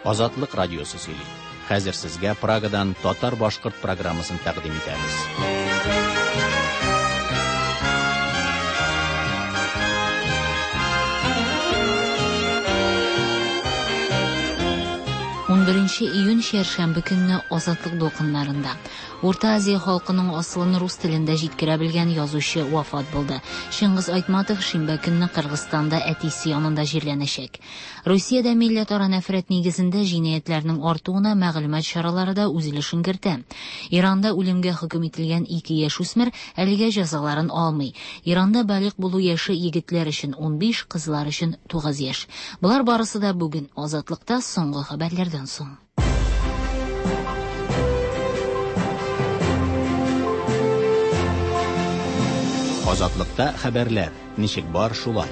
Азатлык радиосы сөйли. Хәзер сезгә Прагадан татар-башкорт программасын тәкъдим итәбез. Унберенче июнь чәршәмбе көнне Азатлык дулкыннарында Урта Азия халкының асылын рус телендә җиткерә белгән язучы вафат булды. Чыңгыз Айтматов шимбә көнне Кыргызстанда әтисе янында җирләнәчәк. Русиядә милләтара нәфрәт нигезендә җинаятьләрнең артуына мәгълүмат чаралары да үз өлешен кертә. Иранда үлемгә хөкем ителгән ике яшүсмер әлегә җәзаларын алмый. Иранда балигъ булу яше егетләр өчен 15, кызлар өчен 9 яшь. Болар барысы да бүген Азатлыкта соңгы хәбәрләрдән соң. Азатлыкта хәбәрләр, ничек бар шулай.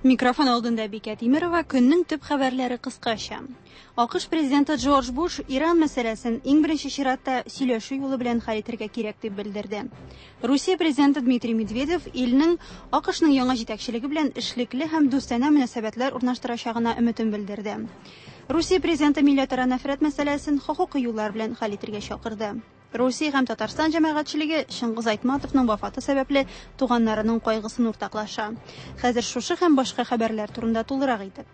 Микрофон алдында Бикә Тимерова, көннең төп хәбәрләре кыскача. АКШ президенты Джордж Буш Иран мәсьәләсен иң беренче чиратта сөйләшү юлы белән хәл итәргә кирәк дип белдерде. Русия президенты Дмитрий Медведев илнең АКШның яңа җитәкчелеге белән эшлекле һәм дустанә мөнәсәбәтләр урнаштырачагына өметен белдерде. Русия президенты милләтара нәфрәт мәсьәләсен хокукый юллар белән хәл итәргә чакырды. Русия һәм Татарстан җәмәгатьчелеге Чыңгыз Айтматовның вафаты сәбәпле туганнарының кайгысын уртаклаша. Хәзер шушы һәм башка хәбәрләр турында тулырак итеп.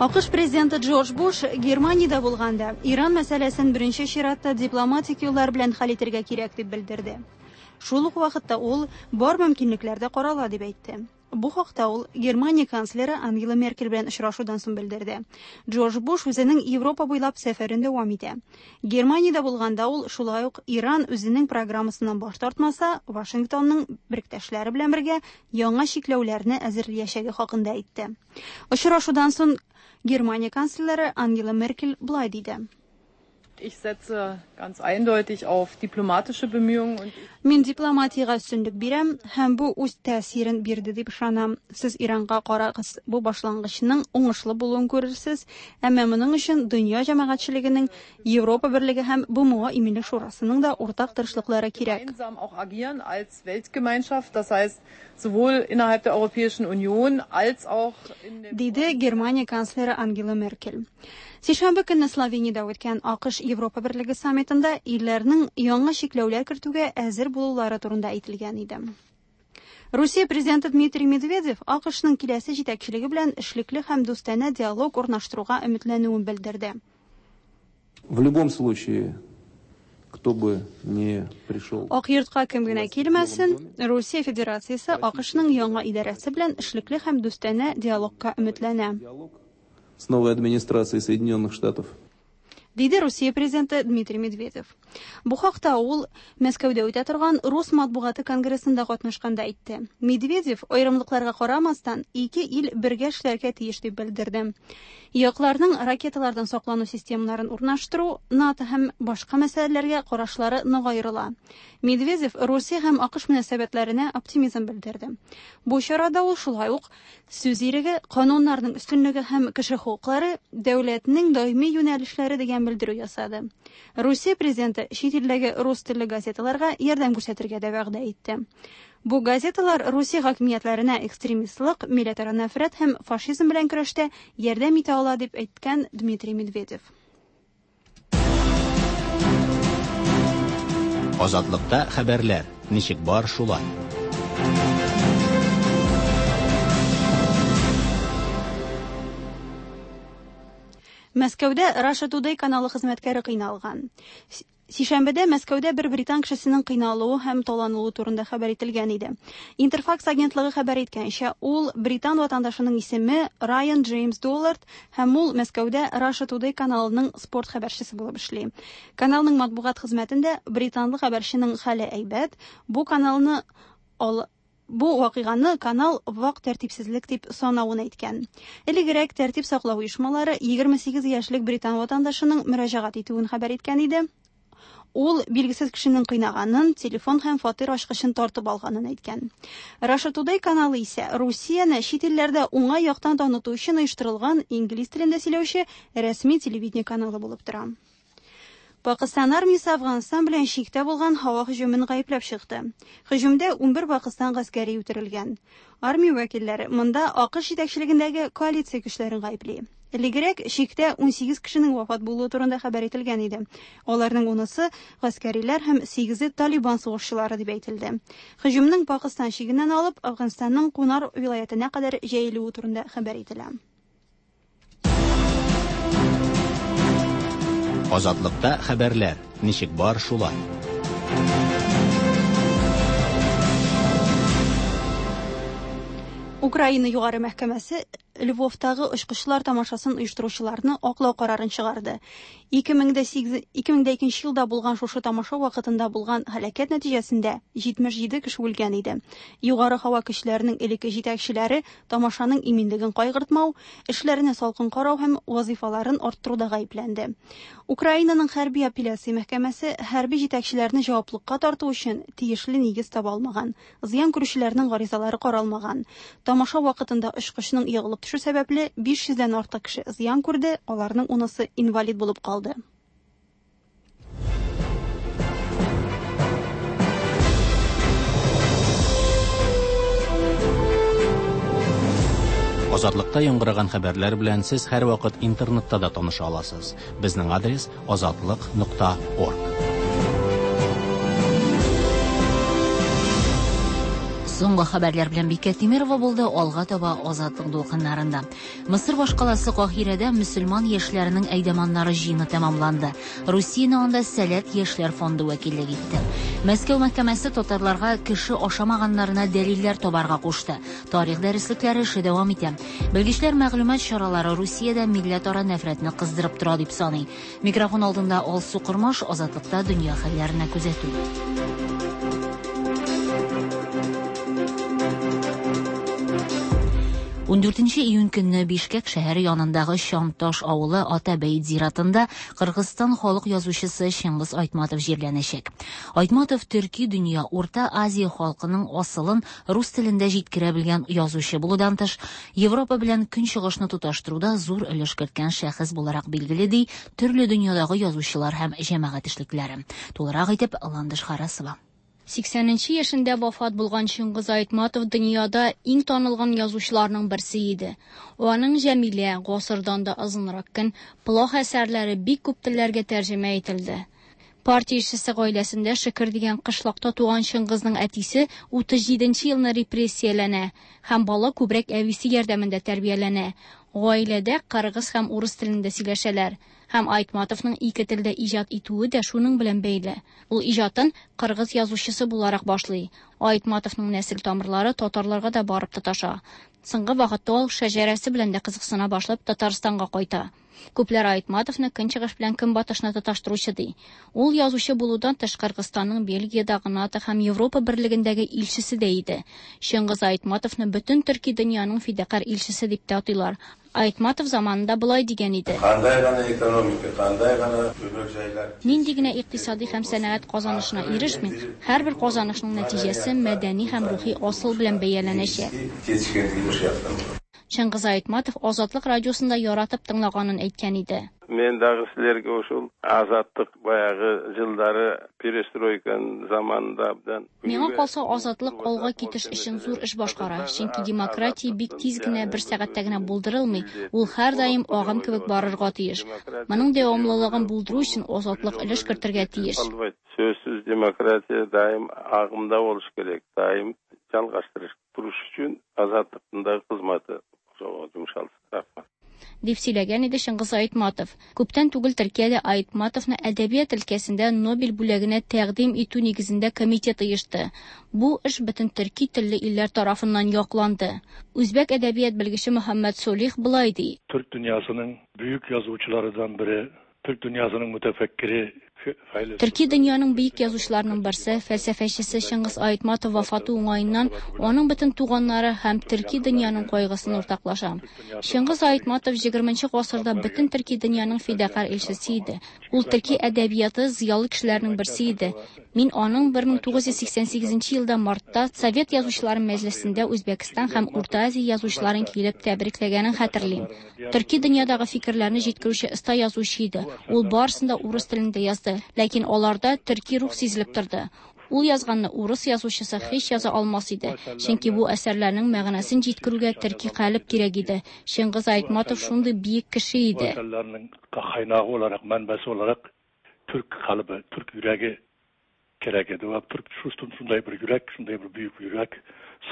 АКШ президенты Джордж Буш Германиядә булганда Иран мәсьәләсен беренче чиратта дипломатик юллар белән хәл итәргә кирәк дип белдерде. Шул ук вакытта ул бар мөмкинлекләр дә карала дип әйтте. Бу хакта ул Германия канцлеры Ангела Меркель белән очрашудан соң белдерде. Джордж Буш үзенең Европа буйлап сәфәрен дәвам итә. Германиядә булганда ул шулай ук Иран үзенең программасыннан баш тартмаса, Вашингтонның беректәшләре белән бергә яңа чикләүләрне әзерләячәге хакында әйтте. Очрашудан соң Германия канцлеры Ангела Меркель болай диде. Ich setze ganz eindeutig auf diplomatische Bemühungen und Мин дипломатиягә өстенлек бирәм һәм бу үз тәэсирен бирде дип ышанам. Сез Иранга карагыз, бу башлангычның уңышлы булуын күрерсез, әмма моның өчен дөнья җәмәгатьчелегенең, Европа Берлеге һәм БМО Иминлек Шурасының да уртак тырышлыклары кирәк. gemeinsam auch agieren als Weltgemeinschaft, das heißt sowohl innerhalb der Europäischen Union als auch in der Диде Германия канцлеры Ангела Меркель. Сишәмбе көнне Словениядә үткән АКШ Европа Берлеге саммитында илләрнең яңа чикләүләр кертүгә әзер булулары турында әйтелгән иде. Русия президенты Дмитрий Медведев АКШның киләсе җитәкчелеге белән эшлекле һәм дустанә диалог урнаштыруга өметләнүен белдерде. В любом случае, кто бы ни пришел. Ак йортка кем генә килмәсен, Русия Федерациясе АКШның яңа идарәсе белән эшлекле һәм дустанә диалогка өметләнә. Диалог с новой администрацией Соединенных Штатов. Диде Русия президенты Дмитрий Медведев. Бу хакта ул Мәскәүдә үтә торган Рус матбугаты конгрессында катнашканда әйтте. Медведев аерымлыкларга карамастан, ике ил бергә эшләргә тиеш дип белдерде. Якларның ракеталардан саклану системаларын урнаштыру, НАТО һәм башка мәсьәләләргә карашлары нык аерыла. Медведев Русия һәм АКШ мөнәсәбәтләренә оптимизм белдерде. Бу чарада ул шулай ук сүз иреге, кануннарның өстенлеге һәм кеше хокуклары дәүләтнең даими юнәлешләре дигән белдерү ясады. Русия президенты чит илдәге рус телле газеталарга ярдәм күрсәтергә дә вәгъдә итте. Бу газеталар Русия хакимиятләренә экстремистлык, милләтара нәфрәт һәм фашизм белән көрәштә ярдәм итә ала дип әйткән Дмитрий Медведев. Азатлыкта хәбәрләр, ничек бар шулай. Мәскәүдә Russia Today каналы хезмәткәре кыйналган. Сишәмбедә Мәскәүдә бер британ кешесенең кыйналуы һәм таланылуы турында хәбәр ителгән иде. Интерфакс агентлыгы хәбәр иткәнчә, ул британ ватандашының исеме Райан Джеймс Доллард һәм ул Мәскәүдә Russia Today каналының спорт хәбәрчесе булып эшли. Каналның матбугат хезмәтендә британлы хәбәрченең хәле әйбәт, бу каналны ал Бу вакыйганы канал вак тәртипсезлек дип санавын әйткән. Элегрәк тәртип саклау оешмалары 28 яшьлек британ ватандашының мөрәҗәгать итүен хәбәр иткән иде. Ул билгесез кешенең кыйнаганын, телефон һәм фатир ачкычын тартып алганын әйткән. Russia Today каналы исә Русияне чит илләрдә уңай яктан таныту өчен оештырылган инглиз телендә сөйләүче рәсми телевидение каналы булып тора. Пакыстан армиясе Әфганстан белән чиктә булган һава һөҗүмен гаепләп чыкты. Һөҗүмдә 11 Пакыстан гаскәре үтерелгән. Армия вәкилләре монда АКШ җитәкчелегендәге коалиция көчләрен гаепли. Элегрәк чиктә 18 кешенең вафат булуы турында хәбәр ителгән иде. Аларның унысы гаскәриләр һәм сигезе Талибан сугышчылары дип әйтелде. Һөҗүмнең Пакыстан чигеннән алып Әфганстанның Кунар вилаятенә кадәр җәелүе турында хәбәр ителә. Азатлыкта хәбәрләр ничек бар шулай. Украина югары мәхкәмәсе Львовтагы очкычлар тамашасын оештыручыларны аклау карарын чыгарды. 2008 2002 елда булган шушы тамаша вакытында булган һәлакәт нәтиҗәсендә 77 кеше үлгән иде. Югары һава көчләренең элекке җитәкчеләре тамашаның иминлеген кайгыртмау, эшләренә салкын карау һәм вазифаларын арттыруда гаепләнде. Украинаның хәрби апелляция мәхкәмәсе хәрби җитәкчеләрне җаваплылыкка тарту өчен тиешле нигез таба алмаган. Зыян күрүчеләрнең гаризалары каралмаган. Тамаша вакытында очкычның егылып төшү сәбәпле 500 дән артык кеше зыян күрде, аларның унысы инвалид булып калды. Азатлыкта яңгыраган хәбәрләр белән сез һәрвакыт интернетта да таныша аласыз. Безнең адрес azatliq.org. Соңгы хәбәрләр белән Бикә Тимирова булды, алга таба Азатлык дулкыннарында. Мысыр башкаласы Каһирәдә мөселман яшьләренең әйдәманнары җыены тәмамланды. Русияне анда Сәләт яшьләр фонды вәкиллек итте. Мәскәү мәхкәмәсе татарларга кеше ашамаганнарына дәлилләр табарга кушты. Тарих дәреслекләре эше дәвам итә. Белгечләр мәгълүмат чаралары Русиядә милләтара нәфрәтне кыздырып тора дип саный. Микрофон алдында Алсу Кормаш, Азатлыкта дөнья хәлләренә күзәтү. 14 июнь көнне Бишкек шәһәре янындагы Чанташ авылы Атабәйт зиратында Кыргызстан халык язучысы Чыңгыз Айтматов җирләнәчәк. Айтматов төрки дөнья, Урта Азия халкының асылын рус телендә җиткерә белгән язучы булудан тыш, Европа белән Көнчыгышны тоташтыруда зур өлеш керткән шәхес буларак билгеле, ди төрле дөньядагы язучылар һәм җәмәгать эшлеклеләре. Тулырак итеп Ландыш Харасова. 80 яшендә вафат булган Чыңгыз Айтматов дөньяда иң танылган язучыларның берсе иде. Аның Җәмилә, Гасырдан да озынрак көн, Плох әсәрләре бик күп телләргә тәрҗемә ителде. Партия эшчесе гаиләсендә Шөкер дигән кышлакта туган Чыңгызның әтисе 37 елны репрессияләнә һәм бала күбрәк әбисе ярдәмендә тәрбияләнә. Гаиләдә кыргыз һәм урыс телендә сөйләшәләр. Һәм Айтматовның ике телдә иҗат итүе дә шуның белән бәйле. Ул иҗатын кыргыз язучысы буларак башлый. Айтматовның нәсел тамырлары татарларга да барып тоташа. Соңгы вакытта ул шәҗәрәсе белән дә кызыксына башлап Татарстанга кайта. Күпләр Айтматовны көнчыгыш белән көнбатышны тоташтыручы ди. Ул язучы булудан тыш Кыргызстанның Бельгиядагы НАТО һәм Европа берлегендәге илчесе дә иде. Чыңгыз Айтматовны бөтен төрки дөньяның фидакарь илчесе дип тә атыйлар. Айтматов заманында болай дигән иде. Кандай гана экономика, кандай гана өмөр жайлар. Нинди генә икътисади һәм сәнәгать казанышына ирешми, һәрбер казанышның нәтиҗәсе мәдәни һәм рухи асыл белән бәяләнәчәк. Чыңгыз Айтматов Азатлык радиосында яратып тыңлаганын әйткән иде. Мен дагы силерге ушул азаттык баягы жылдары перестройканын заманында абдан. Миңа калса, азатлык алга китеш өчен зур эш башкара, чөнки демократия бик тиз генә бер сәгатьтә генә булдырылмый, ул һәрдаим агым кебек барырга тиеш. Моның дәвамлылыгын булдыру өчен азатлык өлеш кертергә тиеш. Сөзсүз демократия дайым агымда болуш керек, дайым жалгаштырыш туруш үчүн азаттыктын дагы кызматы ошого жумшалсын. Рахмат. Дип сөйләгән иде Чыңгыз Айтматов. Күптән түгел Төркиядә Айтматовны әдәбият өлкәсендә Нобель бүләгенә тәкъдим итү нигезендә комитет оешты. Бу эш бөтен төрки телле илләр тарафыннан якланды. Үзбәк әдәбият белгече Мөхәммәд Солих болай ди. Türk dünyasının büyük yazıcılarından biri, Türk dünyasının mütefekkiri, Төрки дөньяның бөек язучыларының берсе, фәлсәфәчесе Чыңгыз Айтматов вафаты уңаеннан аның бөтен туганнары һәм төрки дөньяның кайгысын уртаклашам. Чыңгыз Айтматов 20 гасырда бөтен төрки дөньяның фидакарь илчесе иде. Ул төрки әдәбияты зыялы кешеләрнең берсе иде. Мин аның 1988 елда мартта Совет язучылары мәҗлесендә Үзбәкстан һәм Урта Азия язучыларын килеп тәбрикләгәнен хәтерлим. Төрки дөньядагы фикерләрне җиткерүче оста язучы иде. Ул барысын да урыс телендә язды. чыкты, ләкин аларда төрки рух сизелеп торды. Ул язганны урыс язучысы һич яза алмас иде, чөнки бу әсәрләрнең мәгънәсен җиткерүгә төрки калеб кирәк иде. Чыңгыз Айтматов шундый биек кеше иде. Bu eserlerinin kaynağı olarak, menbesi olarak Türk kalıbı, Türk yüreği gerek edi. Ve Türk şunday bir yürek, şunday bir büyük bir yürek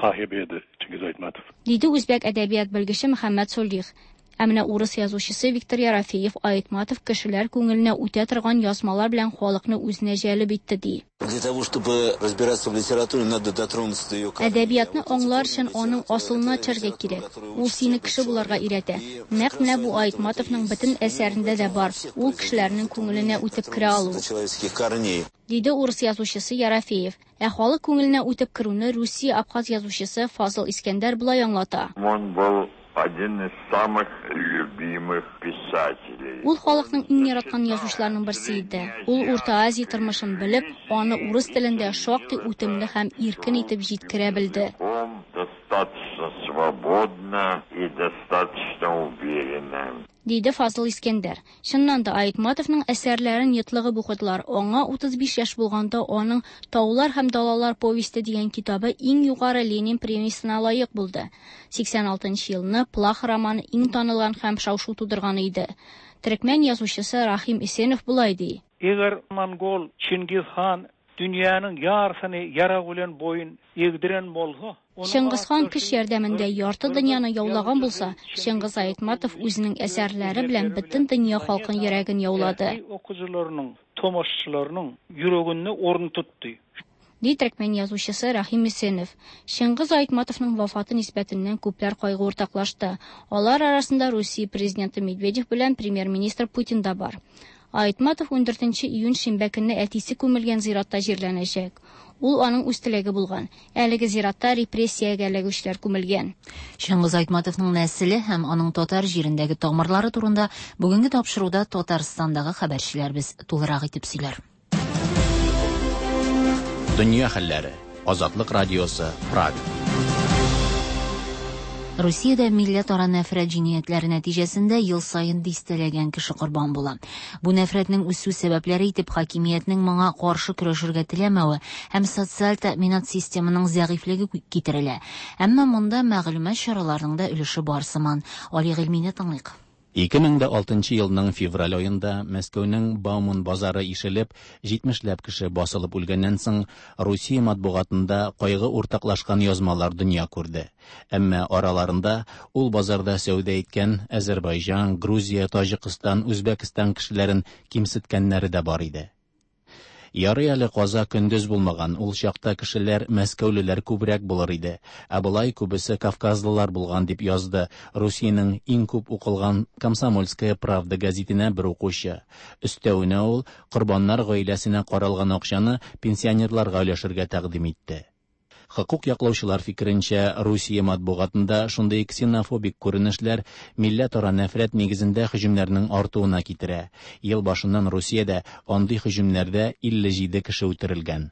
sahibi edi Çingiz Aytmatov. Диде үзбәк әдәбият белгече Мөхәммәд Солих. Ә менә урыс язучысы Виктор Ерофеев Айтматов кешеләр күңеленә үтә торган язмалар белән халыкны үзенә җәлеп итте ди. Для того, чтобы разбираться в литературе, надо дотронуться до ее корней. Әдәбиятны аңлар өчен аның асылына төшәргә кирәк. Ул сине кеше булырга өйрәтә. Нәкъ менә бу Айтматовның бөтен әсәрендә дә бар. Ул кешеләрнең күңеленә үтеп керә алу. До человеческих корней. Диде урыс язучысы Ерофеев. Ә халык күңеленә үтеп керүне Русия абхаз язучысы Фазыл Искәндәр болай аңлата. Он был один из самых любимых писателей. Ул халыкның иң яраткан язучыларының берсе иде. Ул Урта Азия тормышын белеп, аны урыс телендә шактый үтемле һәм иркен итеп җиткерә белде. Он достаточно свободно и достаточно уверенно. Диде Фазыл Искәндәр. Чыннан да Айтматовның әсәрләрен йотлыгып укыдылар. Аңа 35 яшь булганда аның Таулар һәм далалар повесте дигән китабы иң югары Ленин премиясенә лаек булды. 86 елны Плах романы иң танылган һәм шау-шу тудырган иде. Төрекмән язучысы Рахим Исенов болай ди. Eger Mongol Çingiz han dünýäniň ýarysyny ýarag bilen boýun egdiren bolsa, Чыңгыз хан көч ярдәмендә ярты дөньяны яулаган булса, Чыңгыз Айтматов үзенең әсәрләре белән бөтен дөнья халкын йөрәген яулады. Okyjylarynyň, tomaşaçylarynyň ýüreginde orun tutdy. Ди төрекмән язучысы Рахим Исенов. Чыңгыз Айтматовның вафаты нисбәтеннән күпләр кайгы уртаклашты. Алар арасында Русия президенты Медведев белән премьер-министр Путин да бар. Айтматов 14 июнь шимбә көнне әтисе күмелгән зиратта җирләнәчәк. Ул аның үз теләге булган. Әлеге зиратта репрессиягә эләгүчеләр күмелгән. Чыңгыз Айтматовның нәселе һәм аның татар җирендәге тамырлары турында бүгенге тапшыруда Татарстандагы хәбәрчеләребез тулырак итеп сөйләр. Дөнья хәлләре. Азатлык радиосы, Прага. Русиядә милләтара нәфрәт җинаятьләре нәтиҗәсендә ел саен дистәләгән кеше корбан була. Бу нәфрәтнең үсү сәбәпләре итеп хакимиятнең моңа каршы көрәшергә теләмәве һәм социаль тәэминат системының зәгыйфьлеге китерелә. Әмма монда мәгълүмат чараларының да өлеше бар сыман. Али Гыйльмине тыңлыйк. 2006 елның февраль аенда Мәскәүнең Бауман базары ишелеп, 70ләп кеше басылып үлгәннән соң, Русия матбугатында кайгы уртаклашкан язмалар дөнья күрде. Әмма араларында ул базарда сәүдә иткән Азербайҗан, Грузия, Таҗикстан, Үзбәкстан кешеләрен кимсеткәннәре дә бар иде. Ярый әле каза көндез булмаган, ул чакта кешеләр мәскәүлеләр күбрәк булыр иде. Ә болай күбесе кавказлылар булган дип язды Русиянең иң күп укылган Комсомольская правда газетенә бер укучы. Өстәвенә ул корбаннар гаиләсенә каралган акчаны пенсионерларга өләшергә тәкъдим итте. Хокук яклаучылар фикеренчә, Русия матбугатында шундый ксенофобик күренешләр милләтара нәфрәт нигезендә һөҗүмнәрнең артуына китерә. Ел башыннан Русиядә андый һөҗүмнәрдә 57 кеше үтерелгән.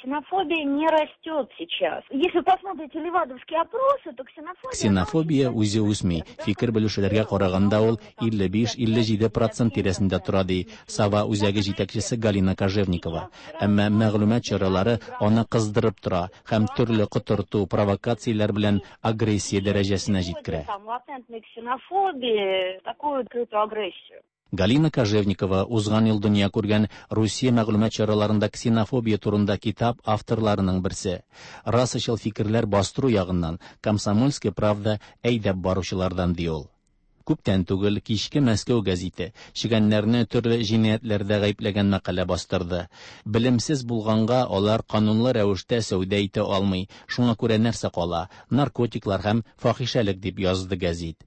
Ксенофобия не растет сейчас. Если вы посмотрите левадовские опросы, то ксенофобия... Ксенофобия үзе үсми. Фикер белешүләргә караганда ул 55-57% тирәсендә тора, ди Сава үзәге җитәкчесе Галина Кожевникова. Әмма мәгълүмат чаралары аны кыздырып тора һәм төрле котырту, провокацияләр белән агрессия дәрәҗәсенә җиткерә. Там латентной ксенофобии, такую открытую агрессию. Галина Кожевникова узган ел дөнья күргән Русия мәгълүмат чараларында ксенофобия турында китап авторларының берсе. Расачыл фикерләр бастыру ягыннан Комсомольская правда әйдәп баручылардан ди ул. Күптән түгел кичке Мәскәү гәзите чегәннәрне төрле җинаятьләрдә гаепләгән мәкалә бастырды. Белемсез булганга алар канунлы рәвештә сәүдә итә алмый. Шуңа күрә нәрсә кала? Наркотиклар һәм фахишәлек дип язды гәзит.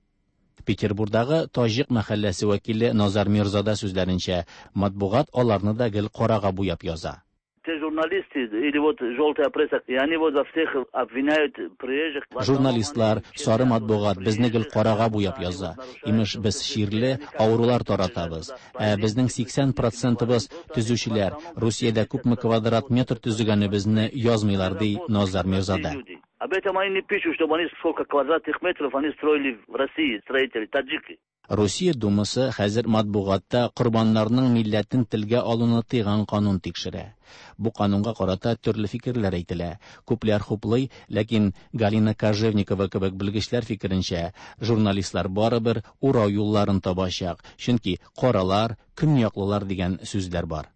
Петербургдагы Таҗик мәхәлләсе вәкиле Назар Мирзада сүзләренчә, матбугат аларны да гел карага буяп яза. Те журналисты или вот желтая пресса, и они вот за всех обвиняют приезжих. Журналистлар, сары матбугат безне гел карага буяп яза. Имеш, без чирле авырулар таратабыз. Ә безнең 80%ыбыз төзүчеләр. Русиядә күпме квадрат метр төзегәнебезне язмыйлар, ди Назар Мирзада. Об этом они не пишут, чтобы они сколько квадратных метров они строили в России, строители, таджики. Русия Думасы хәзер матбугатта корбаннарның милләтен телгә алуны тыйган канун тикшерә. Бу канунга карата төрле фикерләр әйтелә. Күпләр хуплый, ләкин Галина Кожевникова кебек белгечләр фикеренчә, журналистлар барыбер урау юлларын табачак, чөнки каралар, көньяклылар дигән сүзләр бар.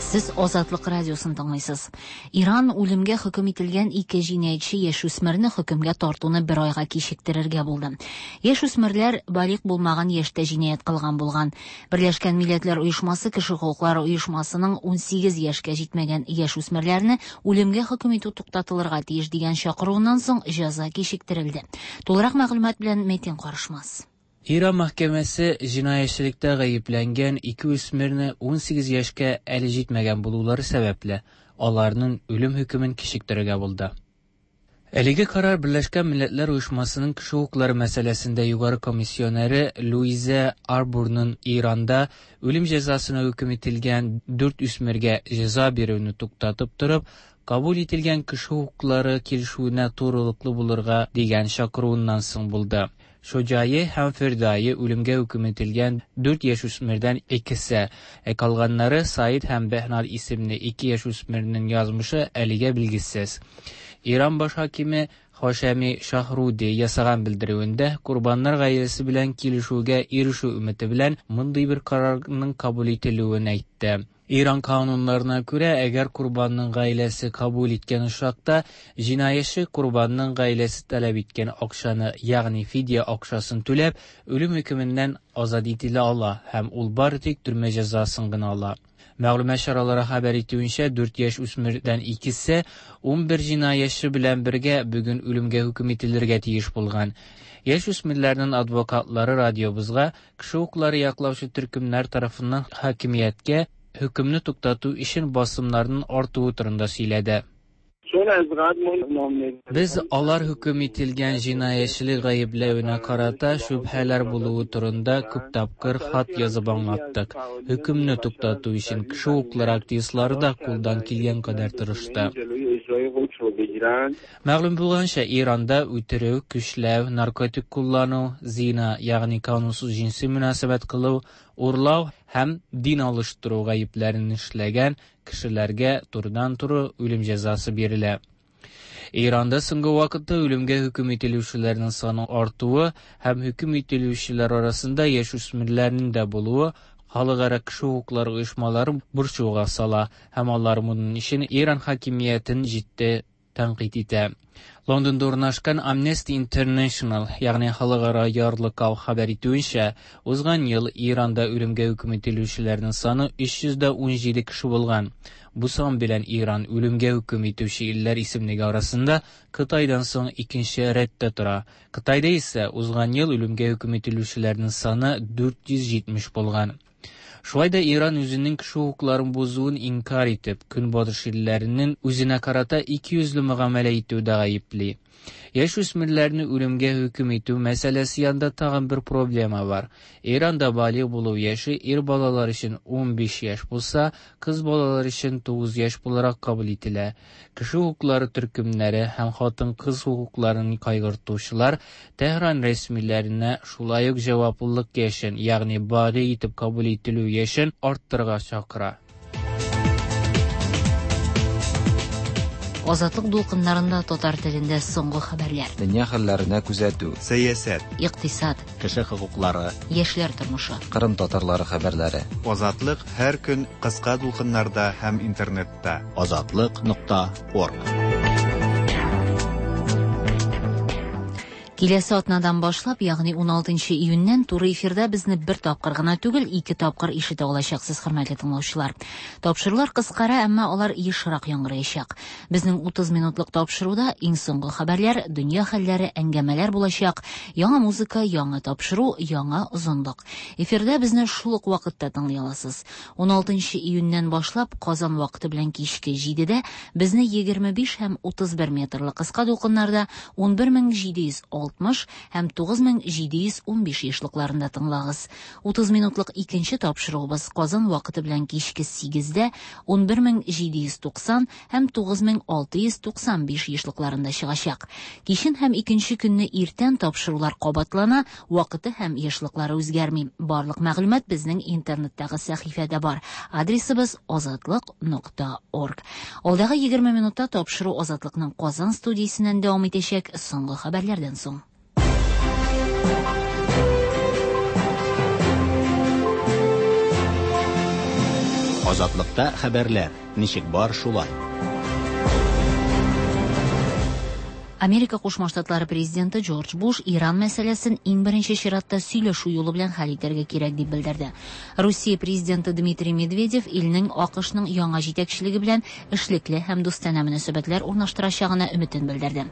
Сез Азатлык радиосын тыңлыйсыз. Иран үлемгә хөкем ителгән ике җинаятьче яшүсмерне хөкемгә тартуны бер айга кичектерергә булды. Яшүсмерләр балигъ булмаган яшьтә җинаять кылган булган. Берләшкән Милләтләр Оешмасы кеше хокуклары оешмасының 18 яшькә җитмәгән яшүсмерләрне үлемгә хөкем итү туктатылырга тиеш дигән чакыруыннан соң җәза кичектерелде. Тулырак мәгълүмат белән Метин Карышмас. Иран мәхкәмәсе җинаятьчелектә гаепләнгән ике үсмерне 18 яшькә әле җитмәгән булулары сәбәпле, аларның үлем хөкемен кичектерергә булды. Әлеге карар Берләшкән Милләтләр Оешмасының кеше хокуклары мәсьәләсендә югары комиссионеры Луиза Арбурның Иранда үлем җәзасына хөкем ителгән дүрт үсмергә җәза бирүне туктатып торып, кабул ителгән кеше хокуклары килешүенә турылыклы булырга дигән чакыруыннан соң булды. Шоҗае һәм Фирдае үлемгә хөкем ителгән дүрт яшүсмердән икесе, ә калганнары Саид һәм Бәһнад исемле ике яшүсмернең язмышы әлегә билгесез. Иран баш хакиме Хашеми Шаһруди ясаган белдерүендә корбаннар гаиләсе белән килешүгә ирешү өмете белән мондый бер карарның кабул ителүен әйтте. Иран кануннарына күрә, әгәр корбанның гаиләсе кабул иткән очракта, җинаятьче корбанның гаиләсе таләп иткән акчаны, ягъни фидия акчасын түләп, үлем хөкеменнән азат ителә ала һәм ул бары тик төрмә җәзасын гына ала. Мәгълүмат чаралары хәбәр итүенчә, дүрт яшь үсмердән икесе 11 җинаятьче белән бергә бүген үлемгә хөкем ителергә тиеш булган. Яшь үсмерләрнең адвокатлары радиобызга кеше хокуклары яклаучы төркемнәр тарафыннан хакимияткә хөкемне туктату өчен басымнарның артуы турында сөйләде. Без алар хөкем ителгән җинаятьчелек гаепләвенә карата шөбһәләр булуы турында күп тапкыр хат язып аңлаттык. Хөкемне туктату өчен кеше хокуклары активистлары да кулдан килгән кадәр тырышты. Мәгълүм булганча, Иранда үтерү, көчләү, наркотик куллану, зина, ягъни канунсыз җенси мөнәсәбәт кылу, урлау һәм дин алыштыру гаепләрен эшләгән кешеләргә турыдан-туры үлем җәзасы бирелә. Иранда соңгы вакытта үлемгә хөкем ителүчеләрнең саны артуы һәм хөкем ителүчеләр арасында яшүсмерләрнең дә булуы халыкара кеше хокуклары оешмаларын борчуга сала һәм алар моның өчен Иран хакимиятен җитди тәнкыйть итә. Лондонда урнашкан Amnesty International, ягъни халыкара ярлыкау хәбәр итүенчә, узган ел Иранда үлемгә хөкем ителүчеләрнең саны 317 кеше булган. Бу сан белән Иран үлемгә хөкем итүче илләр исемлеге арасында Кытайдан соң икенче рәттә тора. Кытайда исә узган ел үлемгә хөкем ителүчеләрнең саны 470 булган. Шулай да Иран үзенең кеше хокукларын бозуын инкарь итеп, Көнбатыш илләренең үзенә карата икейөзле мөгамәлә итүдә гаепли. Яшүсмерләрне үлемгә хөкем итү мәсьәләсе янында тагын бер проблема бар. Иранда балигъ булу яше ир балалар өчен 15 яшь булса, кыз балалар өчен 9 яшь буларак кабул ителә. Кеше хокуклары төркемнәре һәм хатын-кыз хокукларын кайгыртучылар Тәһран рәсмиләренә шулай ук җаваплылык яшен, ягъни балигъ итеп кабул ителү яшен арттырырга чакыра. Азатлык дулкыннарында татар телендә соңгы хәбәрләр. Дөнья хәлләренә күзәтү. Сәясәт. Икътисад. Кеше хокуклары. Яшьләр тормышы. Кырым татарлары хәбәрләре. Азатлык һәр көн кыска дулкыннарда һәм интернетта. Азатлык.орг. Киләсе атнадан башлап, ягъни 16 июньнән туры эфирда безне бер тапкыр гына түгел, ике тапкыр ишетә алачаксыз, хөрмәтле тыңлаучылар. Тапшырулар кыскара, әмма алар ешрак яңгыраячак. Безнең 30 минутлык тапшыруда иң соңгы хәбәрләр, дөнья хәлләре, әңгәмәләр булачак, яңа музыка, яңа тапшыру, яңа озынлык. Эфирда безне шул ук вакытта тыңлый аласыз. 16 июньнән башлап, Казан вакыты белән кичке 7-дә безне 25 һәм 31 метрлы кыска дулкыннарда 11706 9060 һәм 9715 ешлыкларында тыңлагыз. 30 минутлык икенче тапшыруыбыз Казан вакыты белән кичке 8-дә 11790 һәм 9695 ешлыкларында чыгачак. Кичен һәм икенче көнне иртән тапшырулар кабатлана, вакыты һәм ешлыклары үзгәрми. Барлык мәгълүмат безнең интернеттагы сәхифәдә бар. Адресыбыз азатлык.орг. Алдагы 20 минутта тапшыру Азатлыкның Казан студиясеннән дәвам итәчәк соңгы хәбәрләрдән соң. Азатлыкта хәбәрләр ничек бар шулай. Америка Кушма Штатлары президенты Джордж Буш Иран мәсьәләсен иң беренче чиратта сөйләшү юлы белән хәл итәргә кирәк дип белдерде. Русия президенты Дмитрий Медведев илнең АКШның яңа җитәкчелеге белән эшлекле һәм дустанә мөнәсәбәтләр урнаштырачагына өметен белдерде.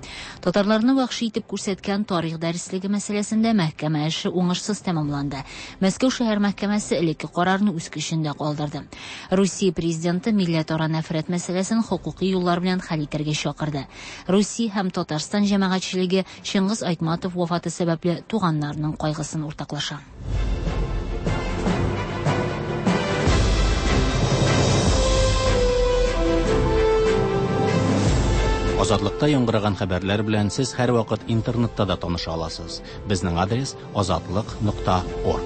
Татарларны вәхши итеп күрсәткән тарих дәреслеге мәсьәләсендә мәхкәмә эше уңышсыз тәмамланды. Мәскәү шәһәр мәхкәмәсе элекке карарны үз көчендә калдырды. Русия президенты милләтара нәфрәт мәсьәләсен хокукый юллар белән хәл итәргә чакырды. Русия һәм Татарстан җәмәгатьчелеге Чыңгыз Айтматов вафаты сәбәпле туганнарының кайгысын уртаклаша. Азатлыкта яңгыраган хәбәрләр белән сез һәрвакыт интернетта да таныша аласыз. Безнең адрес азатлык.орг.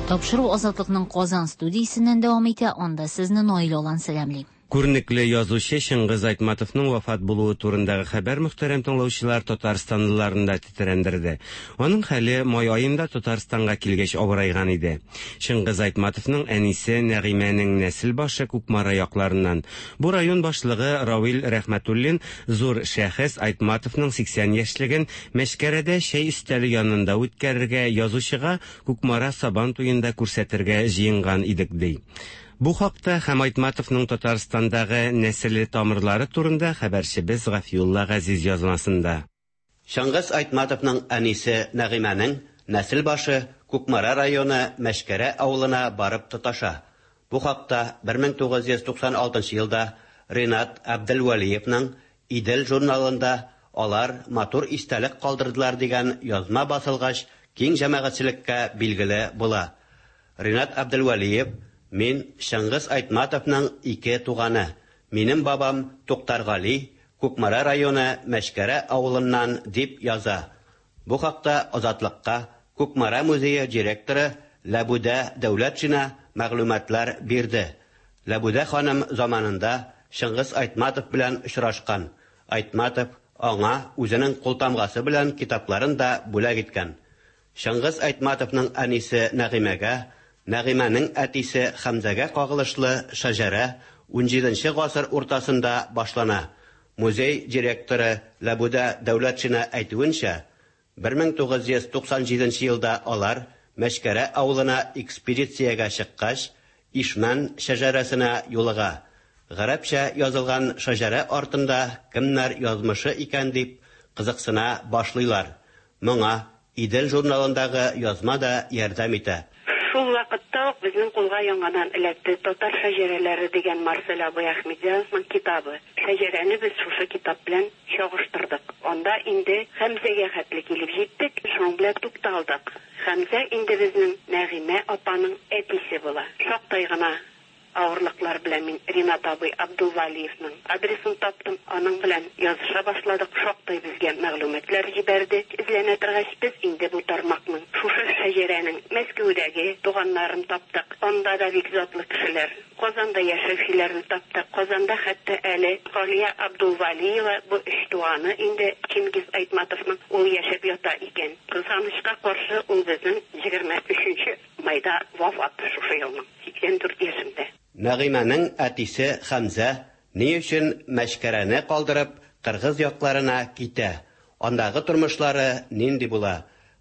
Тапшыру Азатлыкның Казан студиясеннән дәвам итә, анда сезне Наил Алан сәламли. Күренекле язучы Чыңгыз Айтматовның вафат булуы турындагы хәбәр мөхтәрәм тыңлаучылар татарстанлыларны да тетрәндерде. Аның хәле май аенда Татарстанга килгәч авырайган иде. Чыңгыз Айтматовның әнисе Нәгыймәнең нәсел башы Кукмара якларыннан. Бу район башлыгы Равил Рәхмәтуллин зур шәхес Айтматовның 80 яшьлеген Мәчкәрәдә чәй өстәле янында үткәрергә, язучыга Кукмара Сабан туенда күрсәтергә җыенган идек, ди. Бу хакта һәм Айтматовның Татарстандагы нәселе тамырлары турында хәбәрчебез Гафиулла Газиз язмасында. Чыңгыз Айтматовның әнисе Нәгыймәнең нәсел башы Кукмара районы Мәчкәрә авылына барып тоташа. Бу хакта 1996 елда Ринат Әбделвәлиевның Идел журналында алар матур истәлек калдырдылар дигән язма басылгач, киң җәмәгатьчелеккә билгеле була. Ринат Әбделвәлиев: Мин Чыңгыз Айтматовның ике туганы. Минем бабам Туктаргали Кукмара районы Мәчкәрә авылыннан, дип яза. Бу хакта Азатлыкка Кукмара музее директоры Ләбүдә Дәүләтшина мәгълүматлар бирде. Ләбүдә ханым заманында Чыңгыз Айтматов белән очрашкан. Айтматов аңа үзенең култамгасы белән китапларын да бүләк иткән. Чыңгыз Айтматовның әнисе Нәгыймәгә, Нәгыймәнең әтисе Хәмзәгә кагылышлы шәҗәрә 17 гасыр уртасында башлана. Музей директоры Ләбүдә Дәүләтшина әйтүенчә, 1997 елда алар Мәчкәрә авылына экспедициягә чыккач, Ишмән шәҗәрәсенә юлыга. Гарәпчә язылган шәҗәрә артында кемнәр язмышы икән дип кызыксына башлыйлар. Моңа Идел журналындагы язма да ярдәм итә. Шул вакытта ук безнең кулга яңадан эләкте Татар шәҗәрәләре дигән Марсель абый Әхмәтзяновның китабы. Шәҗәрәне без шушы китап белән чагыштырдык. Анда инде Хәмзәгә хәтле килеп җиттек, шуның белән тукталдык. Хәмзә инде безнең Нәгыймә апаның әтисе була. Шактай гына авырлыклар белән мин Ринат абый Абдулвалиевның адресын таптым. Аның белән языша башладык. Шактай безгә мәгълүматлар җибәрде. Эзләнә торгач, без инде бу тармакның, шушы шәҗәрәнең Мәскәүдәге туганнарын таптык. Анда да бик затлы кешеләр. Казанда яшәүчеләрне таптык. Казанда хәтта әле Галия Абдулвалиева, бу өч туганы инде Чингиз Айтматовның, ул яшәп ята икән. Кызганычка каршы, ул безнең 23 майда вафат шушы елның, 84 яшендә. Нәгыймәнең әтисе Хәмзә ни өчен Мәчкәрәне калдырып кыргыз якларына китә? Андагы тормышлары нинди була?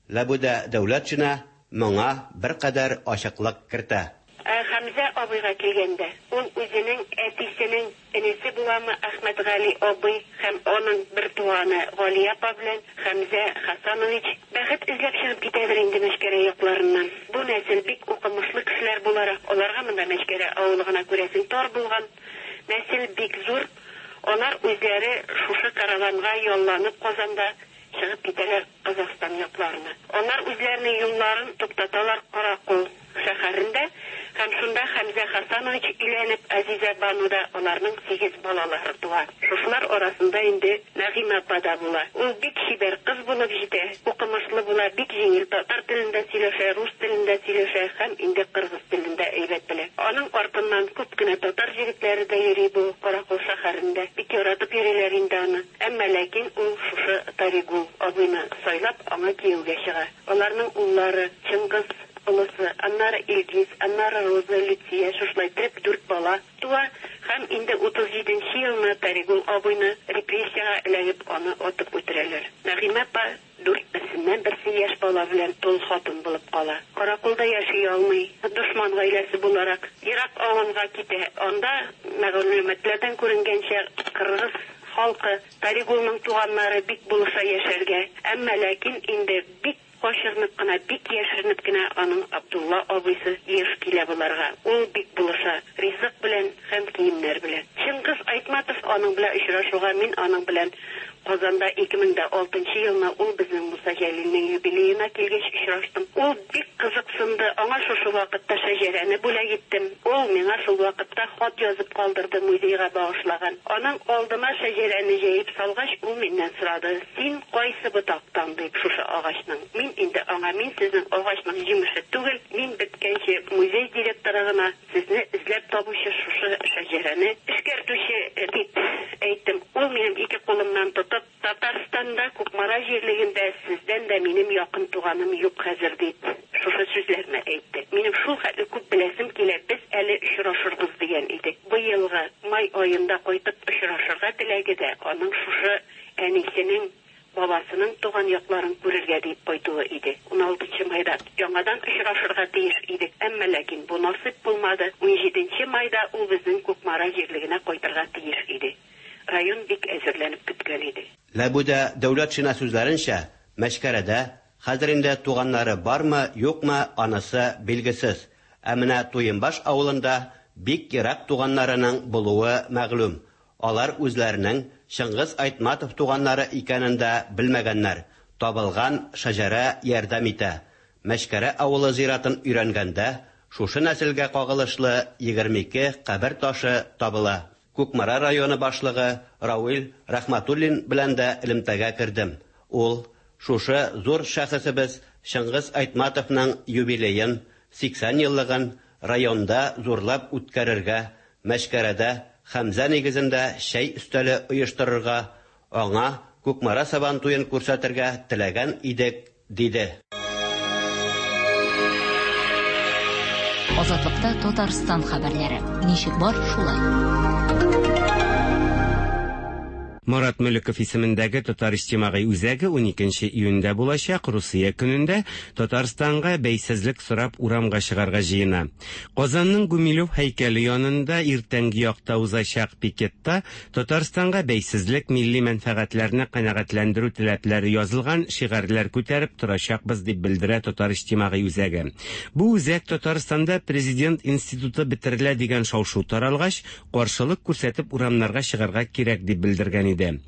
Ләбүдә Дәүләтшина моңа беркадәр ачыклык кертә. Ә Хәмзә абыйга килгәндә, ул үзенең әтисенең энесе буламы, Әхмәтгали абый һәм аның бертуганы Галия апа белән Хәмзә Хәсәнович бәхет эзләп чыгып китәдер инде Мәчкәрә якларыннан. Бу нәсел бик укымышлы кешеләр буларак, аларга монда Мәчкәрә авылы гына күрәсең тар булган. Нәсел бик зур. Алар үзләре. Караванга ялланып Казанда чыгып китәләр Казахстан якларына. Алар үзләренең юлларын туктаталар Каракол шәһәрендә һәм шунда Хәмзә Хасанович өйләнеп, Азизә Бануда аларның сигез балалары туа. Шушылар арасында инде Нәгыймә апа да була. Ул бик чибәр кыз булып җитә, укымышлы була, бик җиңел татар телендә сөйләшә, рус телендә сөйләшә һәм инде кыргыз телен дә әйбәт белә. Аның артыннан күп кенә татар җегетләре дә йөри бу Каракол шәһәрендә. Бик яратып йөриләр инде аны. Әмма ләкин ул шушы Таригул абыйны сайлап, аңа кияүгә чыга. Аларның уллары, Чыңгыз, олысы, аннары Илгиз, аннары Роза, Люция, шушылай иттереп дүрт бала туа һәм инде 37 нче елны Таригул абыйны репрессиягә эләгеп, аны атып үтерәләр. Нәгыймә апа дүрт берсеннән берсе яшь бала белән тол хатын булып кала. Караколда яши алмый, дошман гаиләсе буларак, ерак авылга китә. Анда, мәгълүматлардан күренгәнчә, кыргыз халкы, Таригулның туганнары бик булыша яшәргә. Әмма ләкин инде бик Качырынып кына, бик яшеренеп кенә аның Абдулла абыйсы еш килә боларга. Ул бик булыша, ризык белән һәм киемнәр белән. Чыңгыз Айтматов аның белән очрашуга мин аның белән Казанда 2006 нчы елны ул безнең Муса Җәлилнең юбилеена килгәч очраштым. Ул бик кызыксынды, аңа шушы вакытта шәҗәрәне бүләк иттем. Ул миңа шул вакытта хат язып калдырды, музейга багышлаган. Аның алдыма шәҗәрәне җәеп салгач, ул миннән сорады, Син кайсы ботактан, дип, шушы агачның. Мин инде аңа, мин сезнең агачның җимеше түгел, мин беткәнче музей директоры гына, сезне эзләп табучы, шушы шәҗәрәне эшкәртүче, дип әйттем. Ул минем ике кулымнан тотып, Татарстанда, Кукмара җирлегендә сездән дә минем якын туганым юк хәзер, дип, шушы сүзләрне әйтте. Минем шул хәтле күп беләсем килә, без әле очрашырбыз, дигән иде. Быелгы май аенда кайтып очрашырга теләге дә аның шушы әнисенең, бабасының туган якларын күрергә диеп кайтуы иде. Уналтынчы майда яңадан очрашырга тиеш идек, әмма ләкин бу насыйп булмады. Унҗиденче майда ул безнең Кукмара җирлегенә кайтырга тиеш иде. Район бик әзерләнеп көткән иде. Ләбүдә Дәүләтшина сүзләренчә, Мәчкәрәдә хәзер инде туганнары бармы, юкмы, анысы билгесез. Ә менә Туембаш авылында бик ерак туганнарының булуы мәгълүм. Алар үзләренең Чыңгыз Айтматов туганнары икәнен дә белмәгәннәр. Табылган шәҗәрә ярдәм итә. Мәчкәрә авылы зиратын өйрәнгәндә, шушы нәселгә кагылышлы 22 кабер ташы табыла. Кукмара районы башлыгы Рауил Рәхмәтуллин белән дә элемтәгә кердем. Ул, Шушы зур шәхесебез Чыңгыз Айтматовның юбилеен, 80 еллыгын районда зурлап үткәрергә, Мәчкәрәдә Хәмзә нигезендә чәй өстәле оештырырга, аңа Кукмара Сабантуен күрсәтергә теләгән идек, диде. Азатлыкта Татарстан хәбәрләре. Ничек бар, шулай. Марат Мөлеков исемендәге Татар иҗтимагый үзәге 12 июньдә булачак Русия көнендә Татарстанга бәйсезлек сорап урамга чыгарга җыена. Казанның Гумилев һәйкәле янында иртәнге якта узачак пикетта Татарстанга бәйсезлек, милли мәнфәгатьләрне канәгатьләндерү теләпләре язылган шигарьләр күтәреп торачакбыз, дип белдерә Татар иҗтимагый үзәге. Бу үзәк Татарстанда президент институты бетерелә дигән шау-шу таралгач, каршылык күрсәтеп урамнарга чыгарга кирәк дип белдергән иде.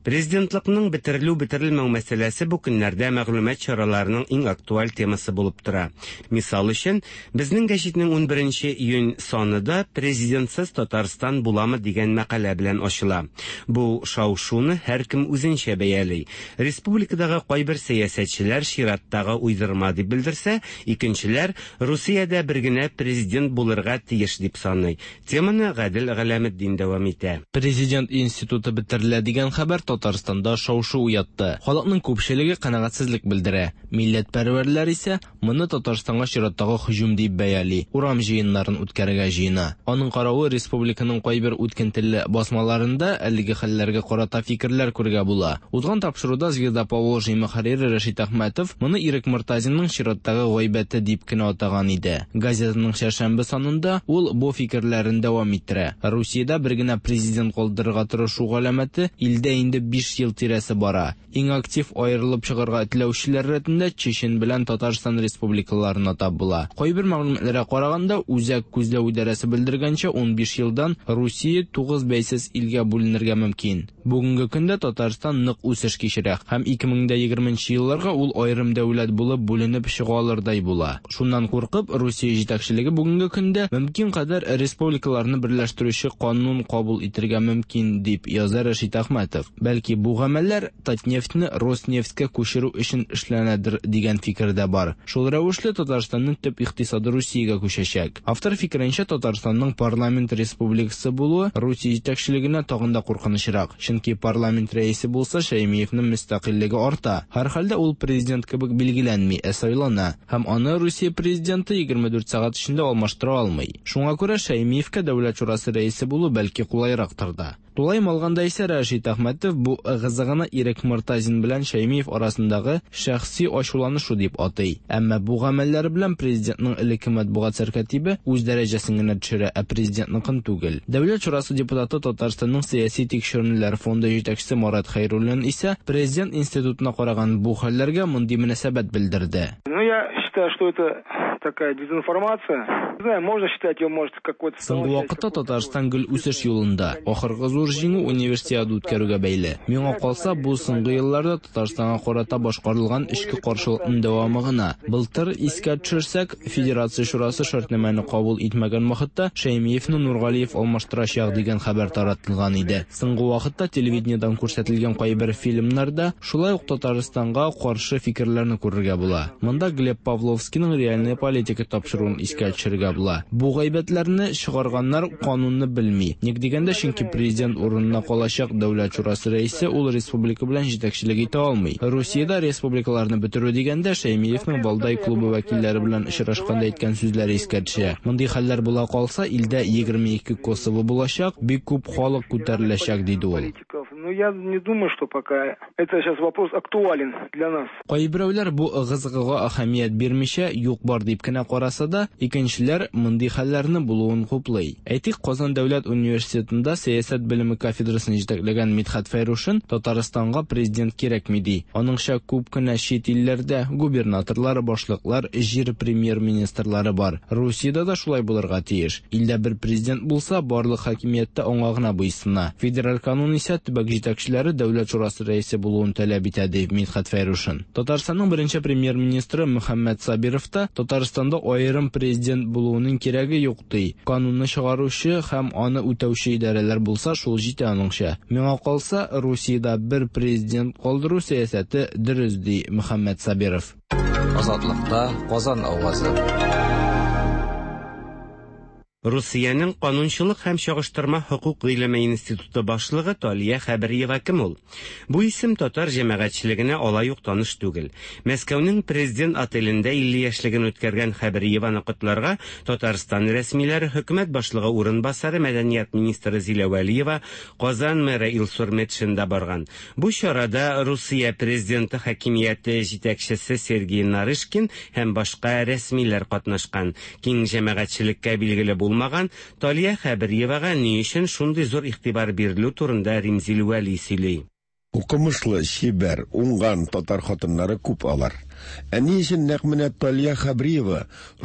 Президентлыкның бетерелү-бетерелмәү мәсьәләсе бу көннәрдә мәгълүмат чараларының иң актуаль темасы булып тора. Мисал өчен, Безнең гәҗитнең унберенче июнь саны да Президентсыз Татарстан буламы дигән мәкалә белән ачыла. Бу шау-шуны һәркем үзенчә бәяли. Республикадагы кайбер сәясәтчеләр чираттагы уйдырма дип белдерсә, икенчеләр Русиядә бер генә президент булырга тиеш дип саный. Теманы Гадел Галәметдин дәвам итә. Президент институты бетерелә дигән хәбәр Татарстанда шау-шу уятты. Халыкның күпчелеге канәгатьсезлек белдерә. Милләтпәрвәрләр исә Моны Татарстанга чираттагы һөҗүм дип бәяли, урам җыеннарын үткәрергә җыена. Аның каравы, республиканың кайбер үткен телле басмаларында әлеге хәлләргә карата фикерләр күрергә була. Узган тапшыруда Звезда Поволжья мөхәррире Рәшит Әхмәтов моны Ирек Мортазинның чираттагы гайбәте дип кенә атаган иде. Газетаның чәршәмбе санында ул бу фикерләрен дәвам иттерә. Русиядә бер генә президент калдырырга тырышу галәмәте сәясәте илдә инде 5 ел тирәсе бара. Иң актив аерылып чыгарга теләүчеләр рәтендә Чечен белән Татарстан республикаларын атап була. Кайбер мәгълүматларга караганда, Үзәк күзләү идарәсе белдергәнчә, 15 елдан Русия 9 бәйсез илгә бүленергә мөмкин. Бүгенге көндә Татарстан нык үсеш кичерә һәм 2020 нче елларга ул аерым дәүләт булып бүленеп чыга алырдай була. Шуннан куркып, Русия җитәкчелеге бүгенге көндә мөмкин кадәр республикаларны берләштерүче канун кабул итергә мөмкин, дип яза Рәшит Әхмәтов. Бәлки бу гамәлләр Татнефтьне Роснефтькә күчерү өчен эшләнәдер дигән фикер дә бар. Шул рәвешле Татарстанның төп икътисады Русиягә күчәчәк. Автор фикеренчә, Татарстанның парламент республикасы булуы Русия җитәкчелегенә тагын да куркынычрак. Чөнки парламент рәисе булса, Шәймиевнең мөстәкыйльлеге арта. Һәрхәлдә ул президент кебек билгеләнми, ә сайлана. Һәм аны Русия президенты 24 сәгать эчендә алмаштыра алмый. Шуңа күрә Шәймиевкә Дәүләт шурасы рәисе булу бәлки кулайрактыр да. Тулаем алганда исә Рәшит Әхмәтов бу ыгы-зыгыны Ирек Мортазин белән Шәймиев арасындагы шәхси ачуланышу дип атый. Әмма бу гамәлләре белән президентның элекке матбугат сәркатибе үз дәрәҗәсен генә төшерә, ә президентныкын түгел. Дәүләт шурасы депутаты Татарстанның сәяси тикшеренүләр фонды җитәкчесе Марат Хәйруллин исә президент институтына караган бу хәлләргә мондый мөнәсәбәт белдерде. Ну, я считаю, что это такая дезинформация. Не знаю, можно считать ее, может, какой-то... Соңгы вакытта Татарстан гел үсеш юлында. Ахыргы зур җиңү Универсиада үткәрүгә бәйле. Миңа калса, бу соңгы елларда Татарстанга карата башкарылган эчке каршылыкның дәвамы гына. Былтыр, искә төшерсәк, Федерация Шурасы шартнамәне кабул итмәгән вакытта Шәймиевне Нургалиев алмаштырачак дигән хәбәр таратылган иде. Соңгы вакытта телевидениедән күрсәтелгән кайбер фильмнарда шулай ук Татарстанга каршы фикерләрне күрергә була. Монда Глеб Павловскийның Реальная политика тапшыруын искә төшерергә була. Бу гайбәтләрне чыгарганнар канунны белми. Ник дигәндә, чөнки президент урынына калачак Дәүләт шурасы рәисе ул республика белән җитәкчелек итә алмый. Русиядә республикаларны бетерү дигәндә, Шәймиевнең Валдай клубы вәкилләре белән очрашканда әйткән сүзләре искә төшә. Мондый хәлләр була калса, илдә 22 Косово булачак, бик күп халык күтәреләчәк, диде ул. Ну, я не думаю, что пока это сейчас вопрос актуален для нас. Кайберәүләр бу ыгы-зыгыга әһәмият бирмичә, юк-бар дип кенә караса да, икенчеләр мондый хәлләрне булуын хуплый. Әйтик, Казан дәүләт университетында сәясәт белеме кафедрасын җитәкләгән Мидхәт Фәйрушин Татарстанга президент кирәкми ди. Аныңча, күп кенә чит илләрдә губернаторлар, башлыклар, җир премьер-министрлары бар. Русиядә дә шулай булырга тиеш. Илдә бер президент булса, барлык хакимият тә аңа гына буйсына. Федераль канун исә төбәк җитәкчеләре Дәүләт шурасы рәисе булуын таләп итә, ди Мидхәт Фәйрушин. Татарстанның беренче премьер-министры Мөхәммәт Сабиров та Татарстанда аерым президент булуының кирәге юк, ди. Канунны чыгаручы һәм аны үтәүче идарәләр булса, шул җитә аныңча. Миңа калса, Русиядә бер президент калдыру сәясәте дөрес, ди Мөхәммәт Сабиров. Азатлыкта Казан авазы. Русиянең канунчылык һәм чагыштырма хокук гыйлеме институты башлыгы Талия Хәбриева кем ул? Бу исем татар җәмәгатьчелегенә алай ук таныш түгел. Мәскәүнең Президент отелендә 50 яшьлеген үткәргән Хәбриеваны котларга Татарстан рәсмиләре, хөкүмәт башлыгы урынбасары, мәдәният министры Зилә Вәлиева, Казан мэры Илсур Метшин да барган. Бу чарада Русия президенты хакимияте җитәкчесе Сергей Нарышкин һәм башка рәсмиләр катнашкан. Киң җәмәгатьчелеккә билгеле булмаган Талия Хәбриевага ни өчен шундый зур игътибар бирелү турында Римзил Вәли сөйли. Укымышлы, чибәр, уңган татар хатыннары күп алар. Ә ни өчен нәкъ менә Талия Хәбриева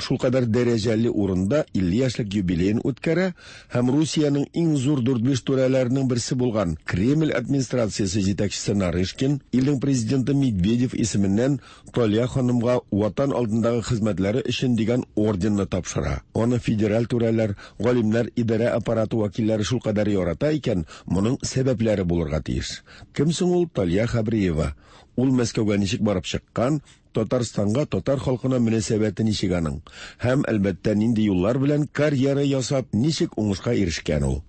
шулкадәр дәрәҗәле урында 50 яшьлек юбилеен үткәрә һәм Русиянең иң зур дүрт-биш түрәләренең берсе булган Кремль администрациясе җитәкчесе Нарышкин илнең президенты Медведев исеменнән Талия ханымга Ватан алдындагы хезмәтләре өчен дигән орденны тапшыра. Аны федераль түрәләр, галимнәр, идарә аппараты вәкилләре шулкадәр ярата икән, моның сәбәпләре булырга тиеш. Кем соң ул Талия Хәбриева? Ул Мәскәүгә ничек барып чыккан, Татарстанга, татар халкына мөнәсәбәте ничек аның? Һәм, әлбәттә, нинди юллар белән карьера ясап, ничек уңышка ирешкән ул?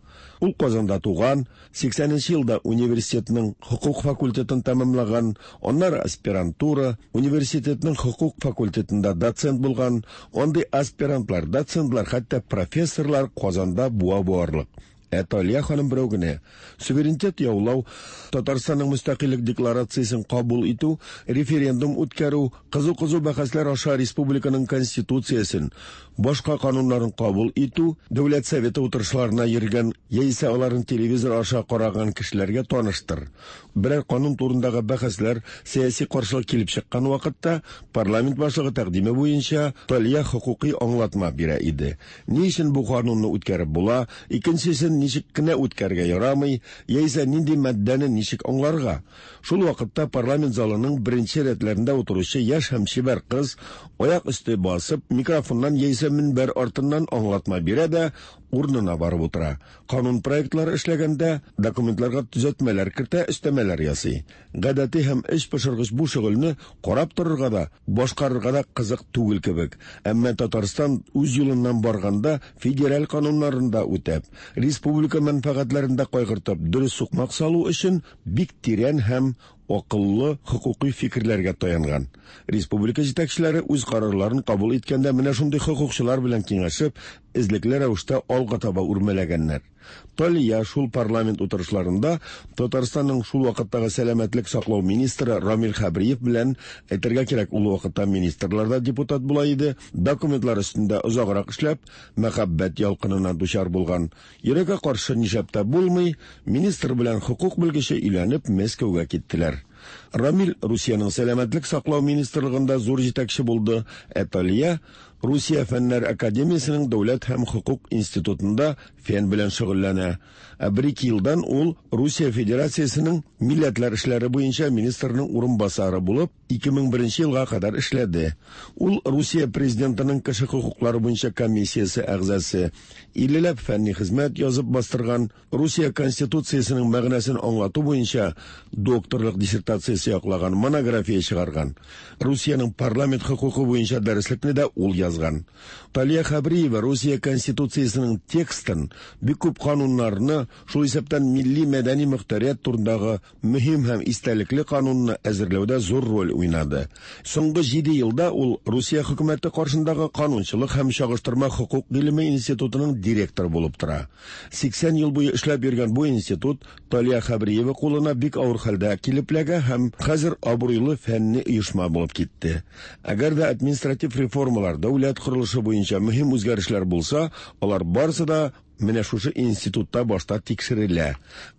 Ул Казанда туган, 80 нче елда университетның хокук факультетын тәмамлаган, аннары аспирантура, университетның хокук факультетында доцент булган. Андый аспирантлар, доцентлар, хәтта профессорлар Казанда буа буарлык. Ә Талия ханым берәү генә. Суверенитет яулау, Татарстанның мөстәкыйльлек декларациясен кабул итү, референдум үткәрү, кызу-кызу бәхәсләр аша республиканың Конституциясен, башка кануннарын кабул итү, Дәүләт Советы утырышларына йөргән яисә аларын телевизор аша караган кешеләргә таныштыр. Берәр канун турындагы бәхәсләр, сәяси каршылык килеп чыккан вакытта, парламент башлыгы тәкъдиме буенча Талия хокукый аңлатма бирә иде. Ни өчен бу канунны үткәреп була, икенчесен ничек кенә үткәрергә ярамый, яисә нинди маддәне ничек аңларга? Шул вакытта парламент залының беренче рәтләрендә утыручы яшь һәм чибәр кыз, аяк өсте басып, микрофоннан яисә мөнбәр артыннан аңлатма бирә дә, урынына барып утыра. Канун проектлары эшләгәндә, документларга төзәтмәләр кертә, өстәмәләр ясый. Гадәти һәм эч пошыргыч бу шөгыльне карап торырга да, башкарырга да кызык түгел кебек. Әмма Татарстан үз юлыннан барганда федераль кануннарын да үтәп, республика мәнфәгатьләрен дә кайгыртып, дөрес сукмак салу өчен бик тирән һәм акыллы хокукый фикерләргә таянган. Республика җитәкчеләре үз карарларын кабул иткәндә менә шундый хокукчылар белән киңәшеп, эзлекле рәвештә алга таба үрмәләгәннәр. Талия шул парламент утырышларында Татарстанның шул вакыттагы сәламәтлек саклау министры Рамил Хәбриев белән, әйтергә кирәк, ул вакытта министрлар да депутат була иде, документлар өстендә озаграк эшләп, мәхәббәт ялкынына дучар булган. Йөрәккә каршы нишләп тә булмый, министр белән хокук белгече өйләнеп Мәскәүгә киттеләр. Рамил Русиянең сәламәтлек саклау министрлыгында зур җитәкче булды, ә Талия Русия фәннәр академиясенең дәүләт һәм хокук институтында фән белән шөгыльләнә. Ә бер-ике елдан ул Русия Федерациясенең милләтләр эшләре буенча министрның урынбасары булып, 2001 елга кадәр эшләде. Ул Русия президентының кеше хокуклары буенча комиссиясе әгъзасы, иллеләп фәнни хезмәт язып бастырган, Русия Конституциясенең мәгънәсен аңлату буенча докторлык диссертациясе яклаган, монография чыгарган. Русиянең парламент хокукы буенча дәреслекне дә ул язган. Талия Хәбриева Русия Конституциясенең текстын, бик күп кануннарны, шул исәптән милли мәдәни мөхтәрият турындагы мөһим һәм истәлекле канунны әзерләүдә зур роль уйнады. Соңгы җиде елда ул Русия хөкүмәте каршындагы канунчылык һәм чагыштырма хокук гыйлеме институтының директоры булып тора. 80 ел буе эшләп йөргән бу институт Талия Хәбриева кулына бик авыр хәлдә килеп эләгә һәм хәзер абруйлы фәнни оешма булып китте. Әгәр дә административ реформалар, дәүләт корылышы буенча мөһим үзгәрешләр булса, алар барысы да менә шушы институтта башта тикшерелә.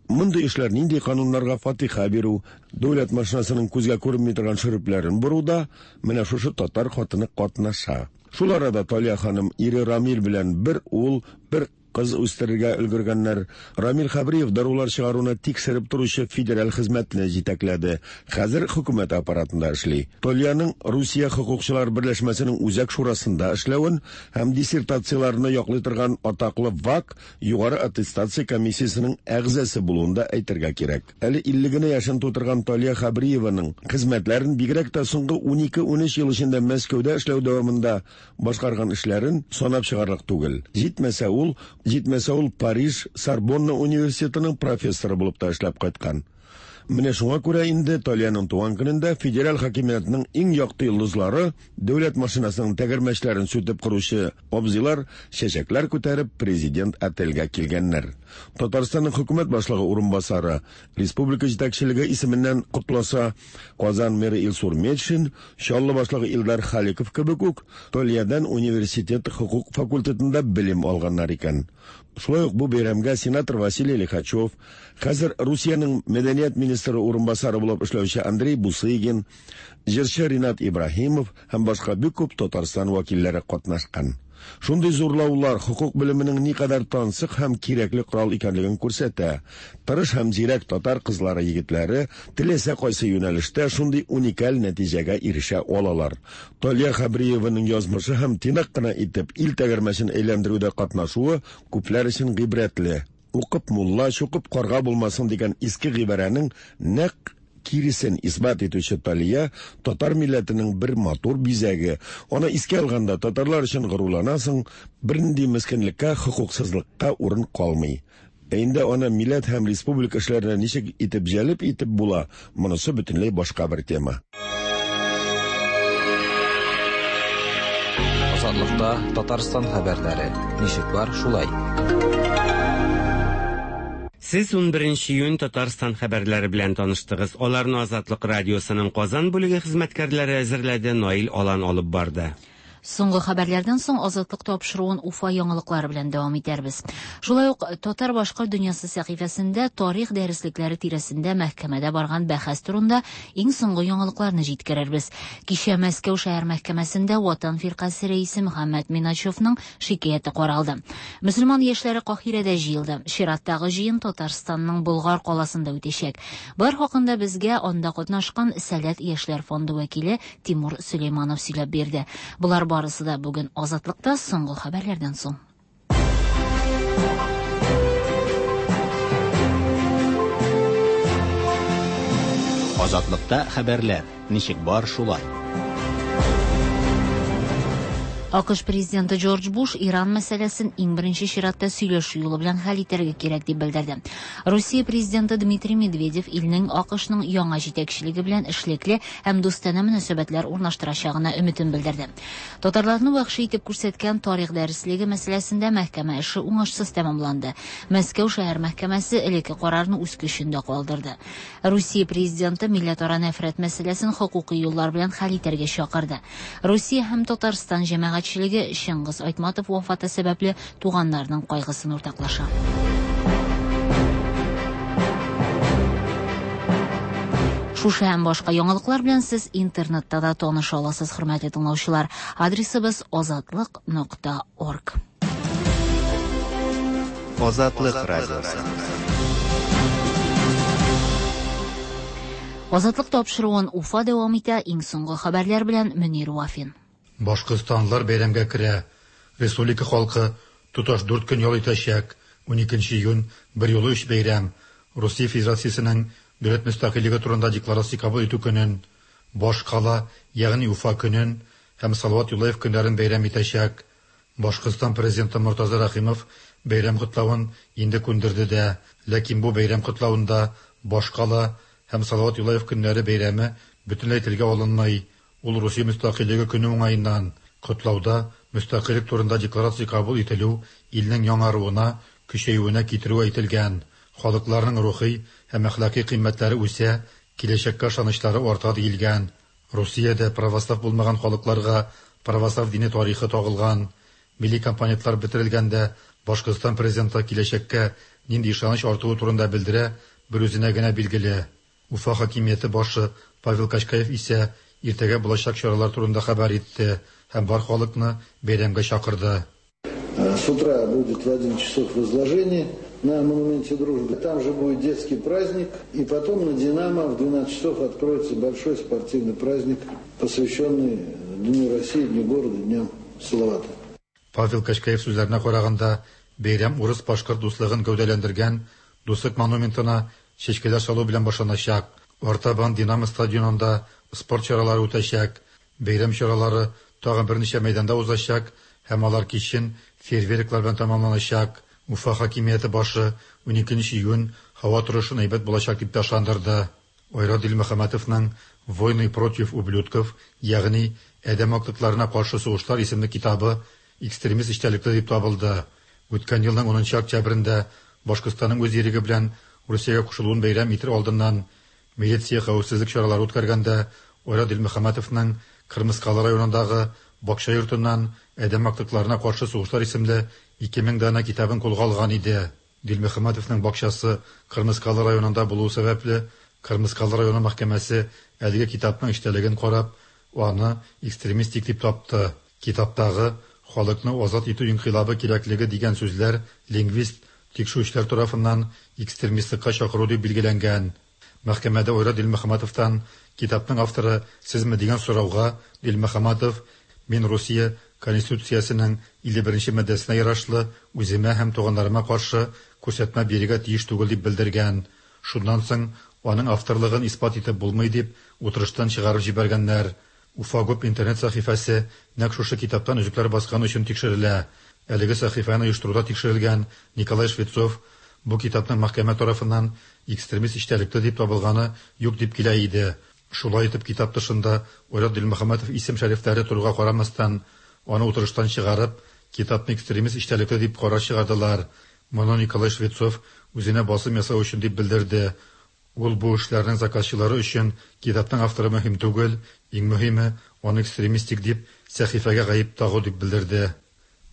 Мондый эшләр нинди кануннарга фатиха бирү, дәүләт машинасының күзгә күренми торган шөрепләрен боруда менә шушы татар хатыны катнаша. Шул арада Талия ханым ире Рамил белән бер ул, бер кыз үстерергә өлгергәннәр. Рамил Хәбриев дарулар чыгаруны тикшереп торучы федераль хезмәтне җитәкләде. Хәзер хөкүмәт аппаратында эшли. Талияның Русия хокукчылар берләшмәсенең үзәк шурасында эшләвен һәм диссертацияләрне яклый торган атаклы ВАК югары аттестация комиссиясенең әгъзасы булуын да әйтергә кирәк. Әле 50 генә яшен тутырган Талия Хәбриеваның хезмәтләрен бигрәк тә соңгы 12-13 ел эчендә Мәскәүдә эшләү дәвамында башкарган эшләрен санап чыгарлык түгел. Җитмәсә ул, җитмәсә ул Париж Сорбонна университетының профессоры булып та эшләп кайткан. Менә шуңа күрә инде Талияның туган көнендә федераль хакимиятнең иң якты йолдызлары, дәүләт машинасының тәгәрмәчләрен сүтеп коручы абзыйлар чәчәкләр күтәреп президент отельгә килгәннәр. Татарстанның хөкүмәт башлыгы урынбасары республика җитәкчелеге исеменнән котласа, Казан мэры Илсур Метшин, Чаллы башлыгы Илдар Халиков кебек үк Талиядән университет хокук факультетында белем алганнар икән. Шулай ук бу бәйрәмгә сенатор Василий Лихачев, хәзер Русиянең мәдәният министры урынбасары булып эшләүче Андрей Бусыгин, җырчы Ринат Ибраһимов һәм башка бик күп Татарстан вәкилләре катнашкан. Шундый зурлаулар хокук белеменең никадәр тансык һәм кирәкле корал икәнлеген күрсәтә. Тырыш һәм зирәк татар кызлары егетләре теләсә кайсы юнәлештә шундый уникаль нәтиҗәгә ирешә алалар. Талия Хәбриеваның язмышы һәм тыйнак кына итеп ил тәгәрмәчен әйләндерүдә катнашуы күпләр өчен гыйбрәтле. Укып мулла, чукып карга булмасын дигән иске гыйбарәнең нәкъ киресен исбат итүче Талия татар милләтенең бер матур бизәге. Аны искә алганда татарлар өчен горурланасың, бернинди мескенлеккә, хокуксызлыкка урын калмый. Ә инде аны милләт һәм республика эшләренә ничек итеп җәлеп итеп була, монысы бөтенләй башка бер тема. Азатлыкта Татарстан хәбәрләре. Ничек бар, шулай. Сез 11 июнь Татарстан хәбәрләре белән таныштыгыз. Аларны Азатлык радиосының Казан бүлеге хезмәткәрләре әзерләде, Наил Алан алып барды. Соңгы хәбәрләрдән соң Азатлык тапшыруын Уфа яңалыклары белән дәвам итәрбез. Шулай ук Татар-башкорт дөньясы сәхифәсендә тарих дәреслекләре тирәсендә мәхкәмәдә барган бәхәс турында иң соңгы яңалыкларны җиткерербез. Кичә Мәскәү шәһәр мәхкәмәсендә Ватан фиркасе рәисе Мөхәммәт Миначевның шикаяте каралды. Мөселман яшьләре Каһирәдә җыелды. Чираттагы җыен Татарстанның Болгар каласында үтәчәк. Болар хакында безгә анда катнашкан Сәләт яшьләр фонды вәкиле Тимур Сөләйманов сөйләп бирде. Болар барысы да бүген Азатлыкта соңгы хәбәрләрдән соң. Азатлыкта хәбәрләр. Ничек бар шулай. АКШ президенты Джордж Буш Иран мәсьәләсен иң беренче чиратта сөйләшү юлы белән хәл итәргә кирәк дип белдерде. Русия президенты Дмитрий Медведев илнең АКШның яңа җитәкчелеге белән эшлекле һәм дустанә мөнәсәбәтләр урнаштырачагына өметен белдерде. Татарларны вәхши итеп күрсәткән тарих дәреслеге мәсьәләсендә мәхкәмә эше уңышсыз тәмамланды. Мәскәү шәһәр мәхкәмәсе элекке карарны үз көчендә калдырды. Русия президенты милләтара нәфрәт мәсьәләсен хокукый юллар белән хәл итәргә чакырды. Русия һәм Татарстан җәмәгатьчелеге Чыңгыз Айтматов вафаты сәбәпле туганнарының кайгысын уртаклаша. Шушы һәм башка яңалыклар белән сез интернетта да таныша аласыз, хөрмәтле тыңлаучылар. Адресыбыз азатлык.орг. Азатлык радиосы. Азатлык тапшыруын Уфа дәвам итә. Иң соңгы хәбәрләр белән Мөнир Вафин. Башкортстанлылар бәйрәмгә керә. Республика халкы тоташ дүрт көн ял итәчәк. 12 июнь берьюлы өч бәйрәм, Русия Федерациясенең дәүләт мөстәкыйльлеге турында декларация кабул итү көнен, баш кала, ягъни Уфа көнен һәм Салават Юлаев көннәрен бәйрәм итәчәк. Башкортстан президенты Мортаза Рәхимов бәйрәм котлавын инде күндерде дә, ләкин бу бәйрәм котлавында баш кала һәм Салават Юлаев көннәре бәйрәме бөтенләй телгә алынмый. Ул Русия мөстәкыйльлеге көне уңаеннан котлауда мөстәкыйльлек турында декларация кабул ителү илнең яңаруына, көчәюенә китерүе әйтелгән. Халыкларның рухи һәм әхлакый кыйммәтләре үсә, киләчәккә ышанычлары арта диелгән. Русиядә православ булмаган халыкларга православ дине тарихы тагылган. Милли компонентлар бетерелгәндә Башкортстан президенты киләчәккә нинди ышаныч артуы турында белдерә, берүзенә генә билгеле. Уфа хакимияте башы Павел Качкаев исә иртәгә булачак чаралар турында хәбәр итте һәм бар халыкны бәйрәмгә чакырды. С утра будет в 11 часов возложение на монументе дружбы. Там же будет детский праздник. И потом на «Динамо» в 12 часов откроется большой спортивный праздник, посвященный Дню России, Дню города, Дню Салавата. Павел Качкаев сүзләренә караганда, бәйрәм урыс-башкорт дуслыгын гәүдәләндергән Дуслык монументына чәчкәләр салу белән башланачак. Артабан Динамо стадионында спорт чаралары үтәчәк. Бәйрәм чаралары тагын берничә мәйданда узачак һәм алар кичен фейерверклар белән тәмамланачак. Уфа хакимияте башы 12 июнь һава торышын әйбәт булачак дип тә ышандырды. Айрат Дилмөхәммәтовның Войны против ублюдков, ягъни Адәм актыкларына каршы сугышлар исемле китабы экстремист эчтәлекле дип табылды. Үткән елның 10 октябрендә Башкортстанның үз иреге белән Русиягә кушылуын бәйрәм итер алдыннан милиция хәвефсезлек чаралары үткәргәндә Айрат Дилмөхәммәтовның Кырмыскалы районындагы бакча йортыннан Адәм актыкларына каршы сугышлар исемле 2000 данә китабын кулга алган иде. Дилмөхәммәтовның бакчасы Кырмыскалы районында булуы сәбәпле, Кырмыскалы районы мәхкәмәсе әлеге китапның эчтәлеген карап, аны экстремистик дип тапты. Китаптагы халыкны азат итү инкыйлабы кирәклеге дигән сүзләр лингвист тикшерүчеләр тарафыннан экстремистлыкка чакыру дип билгеләнгән. Мәхкәмәдә Айрат Дилмөхәммәтовтан китапның авторы сезме дигән сорауга Дилмөхәммәтов мин Русия Конституциясенең 51 маддәсенә ярашлы үземә һәм туганнарыма каршы күрсәтмә бирергә тиеш түгел дип белдергән. Шуннан соң аның авторлыгын исбат итеп булмый дип утырыштан чыгарып җибәргәннәр. Уфа ГУП интернет сәхифәсе нәкъ шушы китаптан өзекләр баскан өчен тикшерелә. Әлеге сәхифәне оештыруда тикшерелгән Николай Швецов бу китапның мәхкәмә тарафыннан экстремист эчтәлекле дип табылганы юк дип килә иде. Шулай итеп китап тышында Айрат Дилмөхәммәтов исем шәрифләре торуга карамастан, аны утырыштан чыгарып, китапны экстремист эчтәлекле дип карар чыгардылар. Моны Николай Швецов үзенә басым ясау өчен дип белдерде. Ул бу эшләрнең заказчылары өчен китапның авторы мөһим түгел, иң мөһиме, аны экстремистик дип сәхифәгә гаеп тагу дип белдерде.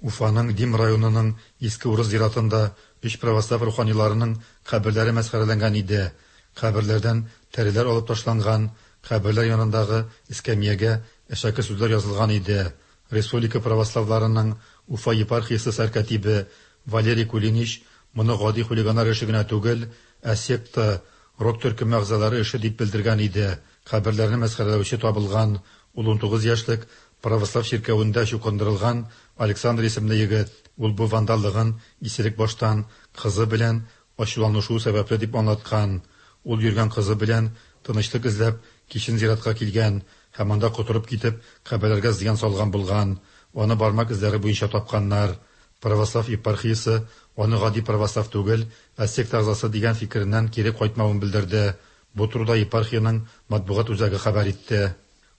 Уфаның Дим районының Иске Урыс зиратында өч православ руханиларының каберләре мәсхәрәләнгән иде. Каберләрдән тәреләр алып ташланган, каберләр янындагы эскәмиягә әшәке сүзләр язылган иде. Республика православларының Уфа епархиясе сәркатибе Валерий Кулинич моны гади хулиганнар эше генә түгел, ә секта, рок төркеме әгъзалары эше дип белдергән иде. Каберләрне мәсхәрәләүче табылган, ул 19 яшьлек православ чиркәвендә чукындырылган Александр исемле егет. Ул бу вандаллыгын исерек баштан кызы белән ачуланышуы сәбәпле дип аңлаткан. Ул йөргән кызы белән тынычлык эзләп кичен зиратка килгән һәм анда котырып китеп каберләргә зыян салган булган. Аны бармак эзләре буенча тапканнар. Православ епархиясе аны гади православ түгел, ә секта әгъзасы дигән фикереннән кире кайтмавын белдерде. Бу турыда епархиянең матбугат үзәге хәбәр итте.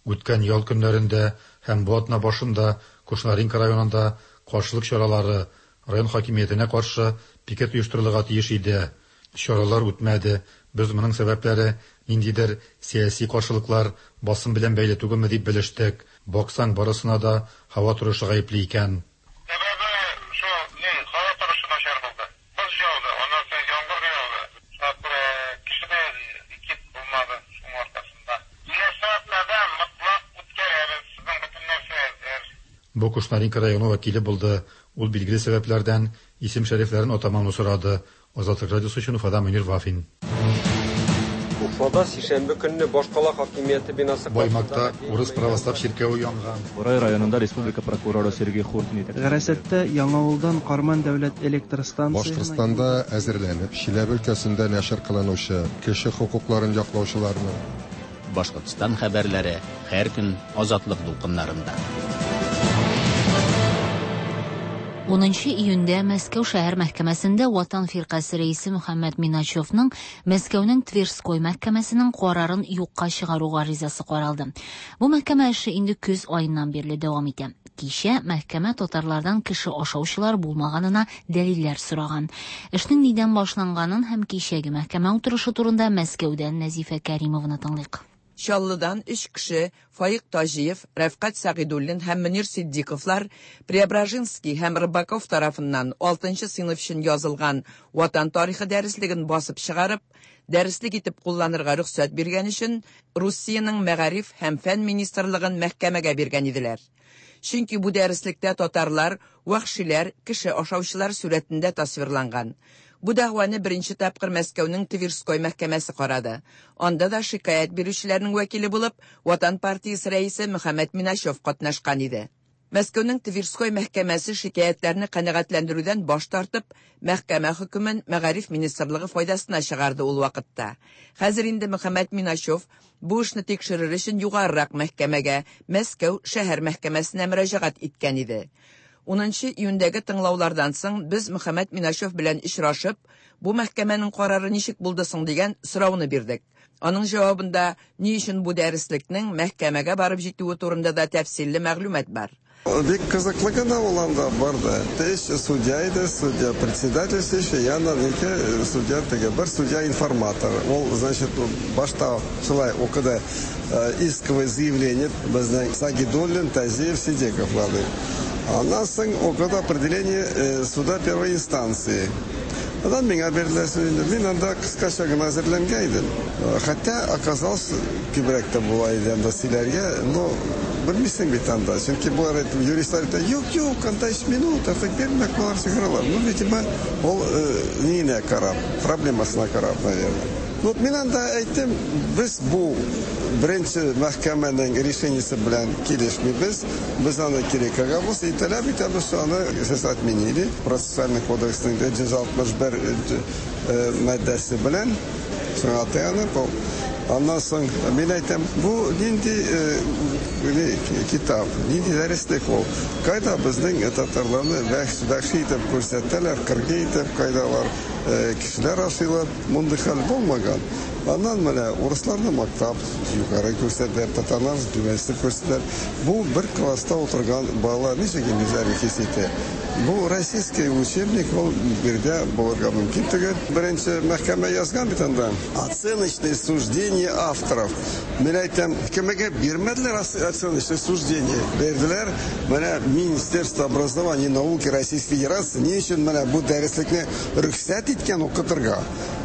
Үткән ял көннәрендә һәм бу атна башында Кушнаренко районында каршылык чаралары, район хакимиятенә каршы пикет оештырылырга тиеш иде. Чаралар үтмәде. Без моның сәбәпләре ниндидер сәяси каршылыклар, басым белән бәйле түгелме дип белештек. Баксаң, барысына да һава торышы гаепле икән. Сәбәбе шул, ни, һава торышы начар булды. Боз яуды, аннан соң яңгыр да яуды. Шуңа күрә кеше дә пикет булмады шуның аркасында. Киләсе атнада мотлак үткәрәбез, безнең бөтен нәрсә әзер. Бу Кушнаренко районы вәкиле булды. Ул билгеле сәбәпләрдән исем-шәрифләрен атамауны сорады. Азатлык радиосы өчен Уфадан Мөнир Вафин. Уфада сишәмбе көнне башкала хакимияте бинасы Баймакта урыс православ чиркәве янган. Борай районында республика прокуроры Сергей Хуртин итәкчелегендә. Гарәсәттә Яңавылдан Карман дәүләт электр станциясенә Башкортстанда әзерләнеп, Чиләбе өлкәсендә нәшер кылынучы кеше хокукларын яклаучыларның, Башкортстан хәбәрләре һәр көн Азатлык дулкыннарында. 10 июньдә Мәскәү шәһәр мәхкәмәсендә Ватан фиркасе рәисе Мөхәммәт Миначевның Мәскәүнең Тверской мәхкәмәсенең карарын юкка чыгару гаризасы каралды. Бу мәхкәмә эше инде көз аеннан бирле дәвам итә. Кичә мәхкәмә татарлардан кеше ашаучылар булмаганына дәлилләр сораган. Эшнең нидән башланганын һәм кичәге мәхкәмә утырышы турында Мәскәүдән Нәзифә Кәримованы тыңлыйк. Чаллыдан өч кеше, Фаик Таҗиев, Рәфкать Сәгыйдуллин һәм Мөнир Ситдиковлар Преображенский һәм Рыбаков тарафыннан алтынчы сыйныф өчен язылган Ватан тарихы дәреслеген басып чыгарып, дәреслек итеп кулланырга рөхсәт биргән өчен Русиянең Мәгариф һәм фән министрлыгын мәхкәмәгә биргән иделәр. Чөнки бу дәреслектә татарлар вәхшиләр, кеше ашаучылар сурәтендә тасвирланган. Бу дәгъваны беренче тапкыр Мәскәүнең Тверской мәхкәмәсе карады. Анда да шикаять бирүчеләрнең вәкиле булып Ватан партиясе рәисе Мөхәммәт Миначев катнашкан иде. Мәскәүнең Тверской мәхкәмәсе шикаятьләрне канәгатьләндерүдән баш тартып, мәхкәмә хөкемен Мәгариф министрлыгы файдасына чыгарды ул вакытта. Хәзер инде Мөхәммәт Миначев бу эшне тикшерер өчен югарырак мәхкәмәгә, Мәскәү шәһәр мәхкәмәсенә мөрәҗәгать иткән иде. 10 июньдәге тыңлаулардан соң без Мөхәммәт Миначев белән очрашып, бу мәхкәмәнең карары ничек булды соң дигән сорауны бирдек. Аның җавабында ни өчен бу дәреслекнең мәхкәмәгә барып җитүе турында да тәфсилле мәгълүмат бар. Бик кызыклы гына ул анда барды. Өч судья иде, судья председательствующий, яннан ике судья теге, бер судья информатор. Ул, значит, башта шулай укыды исковое заявление безнең Сагидуллин, Тазиев, Сидековларның. Аннан соң укыды определение суда первой инстанции. Аннан миңа бирделәр инде. Мин анда кыскача гына әзерләнгән идем. Хотя оказалось, күбрәк тә була иде анда сөйләргә, но белмисең бит анда. Чөнки болар әйтеп, юристлар әйтә, юк, юк, анда 3 минут, артык бирмәк, болар чыгаралар. Ну, видимо, ул ниенә карап, проблемасына карап, наверное. Ну, мин анда әйттем, без бу беренче мәхкәмәнең решениесе белән килешмибез, без аны кире кагабыз, и таләп итәбез, что аны сейчас отменили. Процессуальный кодексның 161 маддәсе белән шуңа таянып, ул. Аннан соң мин әйтәм, бу нинди китап, нинди дәреслек ул? Кайда безнең татарларны вәхши итеп күрсәтәләр, кыргый итеп, кайда алар кешеләр ашыйлар, мондый хәл булмаган. Аннан менә урысларны мактап, югары күрсәтәләр, татарларны түбәнсетеп күрсәтәләр. Бу бер класста утырган балалар ничек инде үзләрен хис итә? Бу российский учебник, ул биредә булырга мөмкин түгел. Беренче мәхкәмә язган бит анда. Оценочное суждение авторов. Мин әйтәм, кемгә бирмәделәр оценочное суждение? Бирделәр менә Министерство образования и науки Российской Федерации ни өчен менә бу дәреслекне рөхсәт иткән укытырга?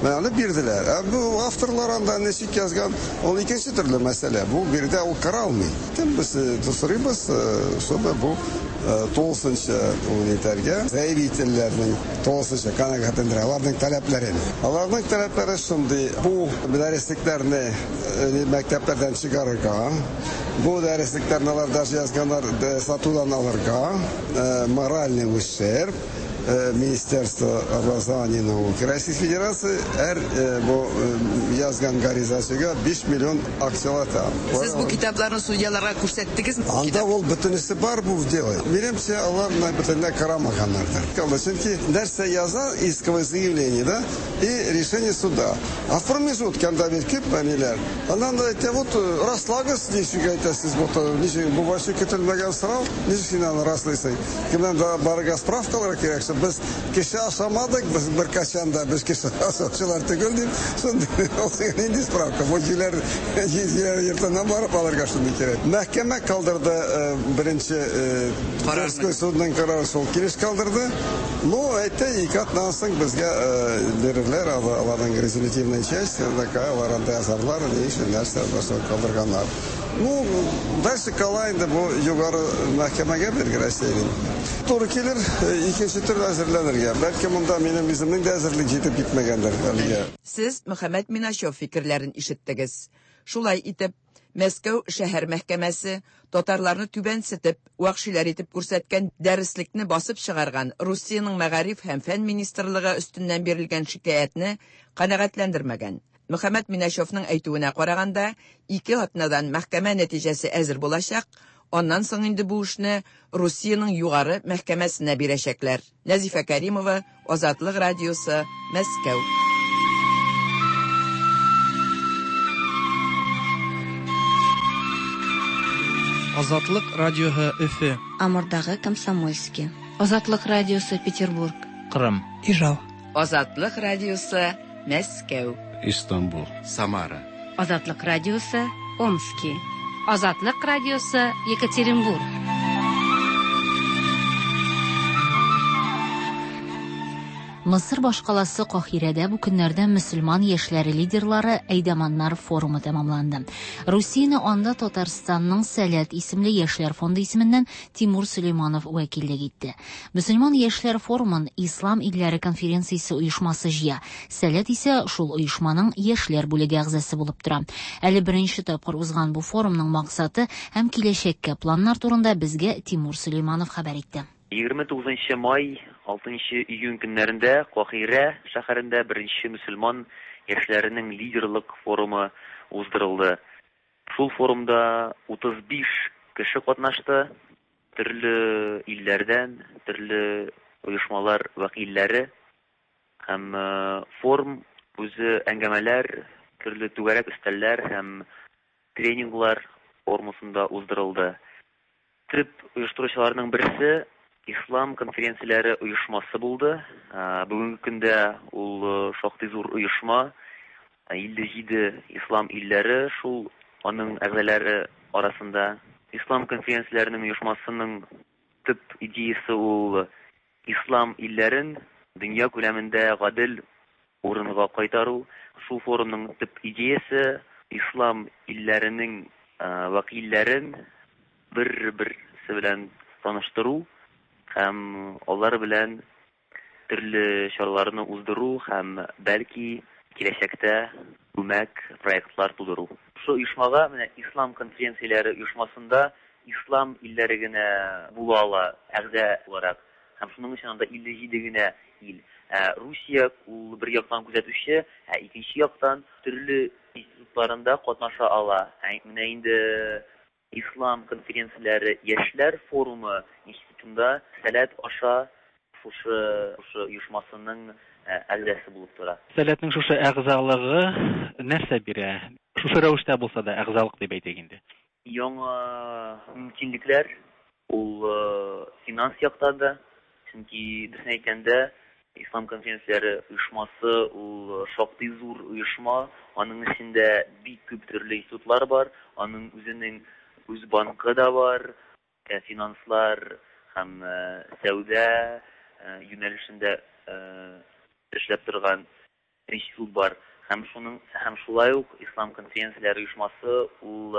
Менә аны бирделәр. Ә бу авторлар анда ничек язган, ул икенче төрле мәсьәлә. Бу биредә ул каралмый. Тем без сорыйбыз, чтобы бу тулысынча ул итәргә, заявительләрнең тулысынча канәгатьләндерә аларның таләпләрен. Аларның таләпләре шундый: бу дәреслекләрне мәктәпләрдән чыгарырга, бу дәреслекләрне алар даже язганнар сатудан алырга, моральный ущерб, Министерство образования и науки Российской Федерации һәр бу язган гаризачыга 5 миллион акчалата. Сез бу китапларны судьяларга күрсәттегезме? Анда ул бөтенесе бар бу дело. Минемчә, алар менә бөтенләй карамаганнардыр. Чөнки нәрсә яза исковое заявление, да, и решение суда. А в промежутке анда бит күп әниләр. Аннан да әйтә, вот раслагыз, ничек әйтәсез, бу ничек бу вообще көтелмәгән сорау, ничек син аны раслыйсың? Кемнән дә барырга справкалар кирәк, что без кеше ашамадык, без беркайчан да без кеше ашаучылар түгел дип, шундый ул сиңа нинди справка? Бу җиләр җиләр йортыннан барып алырга шундый кирәк. Мәхкәмә калдырды беренче Тверской судның карары шул килеш калдырды. Ну, әйтте, ике атнадан соң безгә бирерләр аларның резолютивная часть, такая, алар анда язарлар, ни өчен нәрсә калдырганнар. Ну, дальше кала инде бу югары мәхкәмәгә бирге Россиянең. Туры килер икенче төрле әзерләнергә. Бәлки монда минем үземнең дә әзерлек җитеп китмәгәндер әлегә. Сез Мөхәммәт Миначев фикерләрен ишеттегез. Шулай итеп, Мәскәү шәһәр мәхкәмәсе татарларны түбәнсетеп, вәхшиләр итеп күрсәткән дәреслекне басып чыгарган Русиянең мәгариф һәм фән министрлыгы өстеннән бирелгән шикаятьне канәгатьләндермәгән. Мөхәммәт Миначевның әйтүенә караганда, ике атнадан мәхкәмә нәтиҗәсе әзер булачак, аннан соң инде бу эшне Русиянең югары мәхкәмәсенә бирәчәкләр. Нәзифә Кәримова, Азатлык радиосы, Мәскәү. Азатлык радиоһы Өфе. Амурдагы Комсомольски. Азатлык радиосы Петербург. Кырым. Ижау. Азатлык радиосы Мәскәү. Истанбул. Самара. Азатлык радиосы Омски. Азатлык радиосы Екатеринбург. Мысыр башкаласы Каһирәдә бу көннәрдә мөселман яшьләре лидерлары Әйдаманнар форумы тәмамланды. Русияне анда Татарстанның Сәләт исемле яшьләр фонды исеменнән Тимур Сөләйманов вәкиллек итте. Мөселман яшьләр форумын Ислам илләре конференциясе оешмасы җыя. Сәләт исә шул оешманың яшьләр бүлеге әгъзасы булып тора. Әле беренче тапкыр узган бу форумның максаты һәм киләчәккә планнар турында безгә Тимур Сөләйманов хәбәр итте. 29 нчы май, 6 нчы июнь көннәрендә Каһирә шәһәрендә беренче мөселман яшьләренең лидерлык форумы уздырылды. Шул форумда 35 кеше катнашты, төрле илләрдән, төрле оешмалар вәкилләре. Һәм форум үзе әңгәмәләр, төрле түгәрәк өстәлләр һәм тренинглар формасында уздырылды. Төп оештыручыларның берсе Ислам конференцияләре оешмасы булды. Бүгенге көндә ул шактый зур оешма. 57 ислам илләре шул аның әгъзалары арасында. Ислам конференцияләренең оешмасының төп идеясе ул ислам илләрен дөнья күләмендә гадел урынга кайтару. Шул форумның төп идеясе ислам илләренең вәкилләрен бер-берсе белән таныштыру һәм алар белән төрле чараларны уздыру һәм бәлки киләчәктә күмәк проектлар тудыру. Шушы оешмага менә ислам конференцияләре оешмасында ислам илләре генә була ала әгъза буларак һәм шуның өчен анда 57 генә ил. Ә Русия ул бер яктан күзәтүче, ә икенче яктан төрле институтларында катнаша ала. Ә менә инде Ислам конференцияләре яшьләр форумы институтында Сәләт аша шушы шушы оешмасының әгъзасы булып тора. Сәләтнең шушы әгъзалыгы нәрсә бирә? Шушы рәвештә булса да әгъзалык дип әйтик инде. Яңа мөмкинлекләр, ул финанс яктан да. Чөнки, дөресен әйткәндә, Ислам конференцияләре оешмасы ул шактый зур оешма, аның эчендә бик күп төрле институтлар бар, аның үзенең үз банкы да бар, финанслар һәм сәүдә юнәлешендә эшләп торган институт бар. Һәм шуның һәм шулай ук Ислам конференцияләре оешмасы ул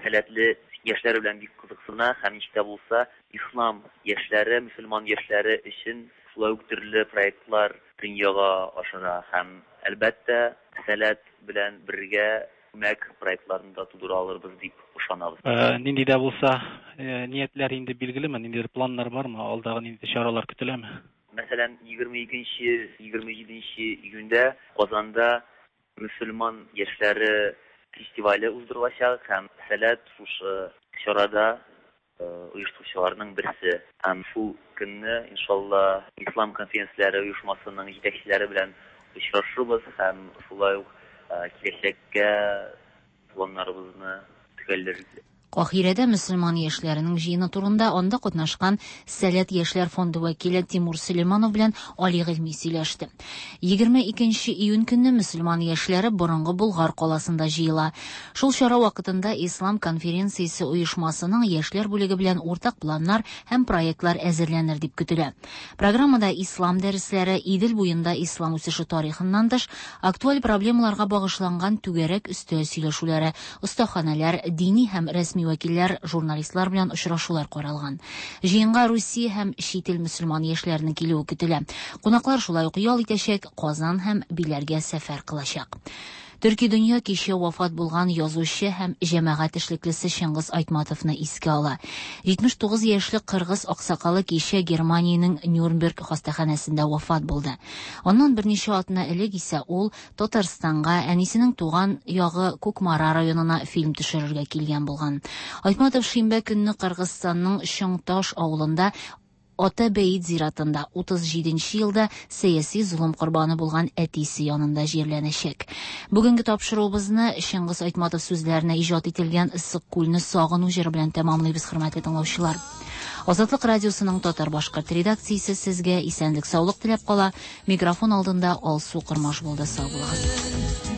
сәләтле яшьләр белән бик кызыксына һәм ничек тә булса ислам яшьләре, мөселман яшьләре өчен шулай ук төрле проектлар дөньяга ашыра һәм, әлбәттә, Сәләт белән бергә күмәк проектларны да тудыра алырбыз дип ышанабыз. Нинди дә булса ниятләр инде билгелеме, ниндидер планнар бармы, алдагы ниндидер чаралар көтеләме? Мәсәлән, 22 27 июньдә Казанда мөселман яшьләре фестивале уздырылачак һәм Сәләт шушы чарада оештыручыларның берсе. Һәм шул көнне, иншалла, Ислам конференцияләре оешмасының җитәкчеләре белән очрашырбыз һәм шулай ук киләчәккә планнарыбызны төгәлләрбез. Каһирәдә мөселман яшьләренең җыены турында анда катнашкан Сәләт яшьләр фонды вәкиле Тимур Сөләйманов белән Али Гыйльми сөйләште. 22 июнь көнне мөселман яшьләре борынгы Болгар каласында җыела. Шул чара вакытында Ислам конференциясе оешмасының яшьләр бүлеге белән уртак планнар һәм проектлар әзерләнер дип көтелә. Программада ислам дәресләре, Идел буенда ислам үсеше тарихыннан тыш, актуаль проблемаларга багышланган түгәрәк өстәл сөйләшүләре, остаханәләр, дини һәм рәсми вәкилләр, журналистлар белән очрашулар каралган. Җыенга Русия һәм чит ил мөселман яшьләренең килүе көтелә. Кунаклар шулай ук ял итәчәк, Казан һәм Биләргә сәфәр кылачак. Төрки дөнья кичә вафат булган язучы һәм җәмәгать эшлеклесе Чыңгыз Айтматовны искә ала. 79 яшьлек кыргыз аксакалы кичә Германиянең Нюрнберг хастаханәсендә вафат булды. Аннан берничә атна элек исә ул Татарстанга, әнисенең туган ягы Кукмара районына фильм төшерергә килгән булган. Айтматов шимбә көнне Кыргызстанның Чоң-Таш авылында Ата Бәет зиратында 37 нче елда сәяси золым корбаны булган әтисе янында җирләнәчәк. Бүгенге тапшыруыбызны Чыңгыз Айтматов сүзләренә иҗат ителгән Ыссык күлне сагыну җыры белән тәмамлыйбыз, хөрмәтле тыңлаучылар. Азатлык радиосының татар-башкорт редакциясе сезгә исәнлек-саулык теләп кала. Микрофон алдында Алсу Кормаш булды. Сау булыгыз.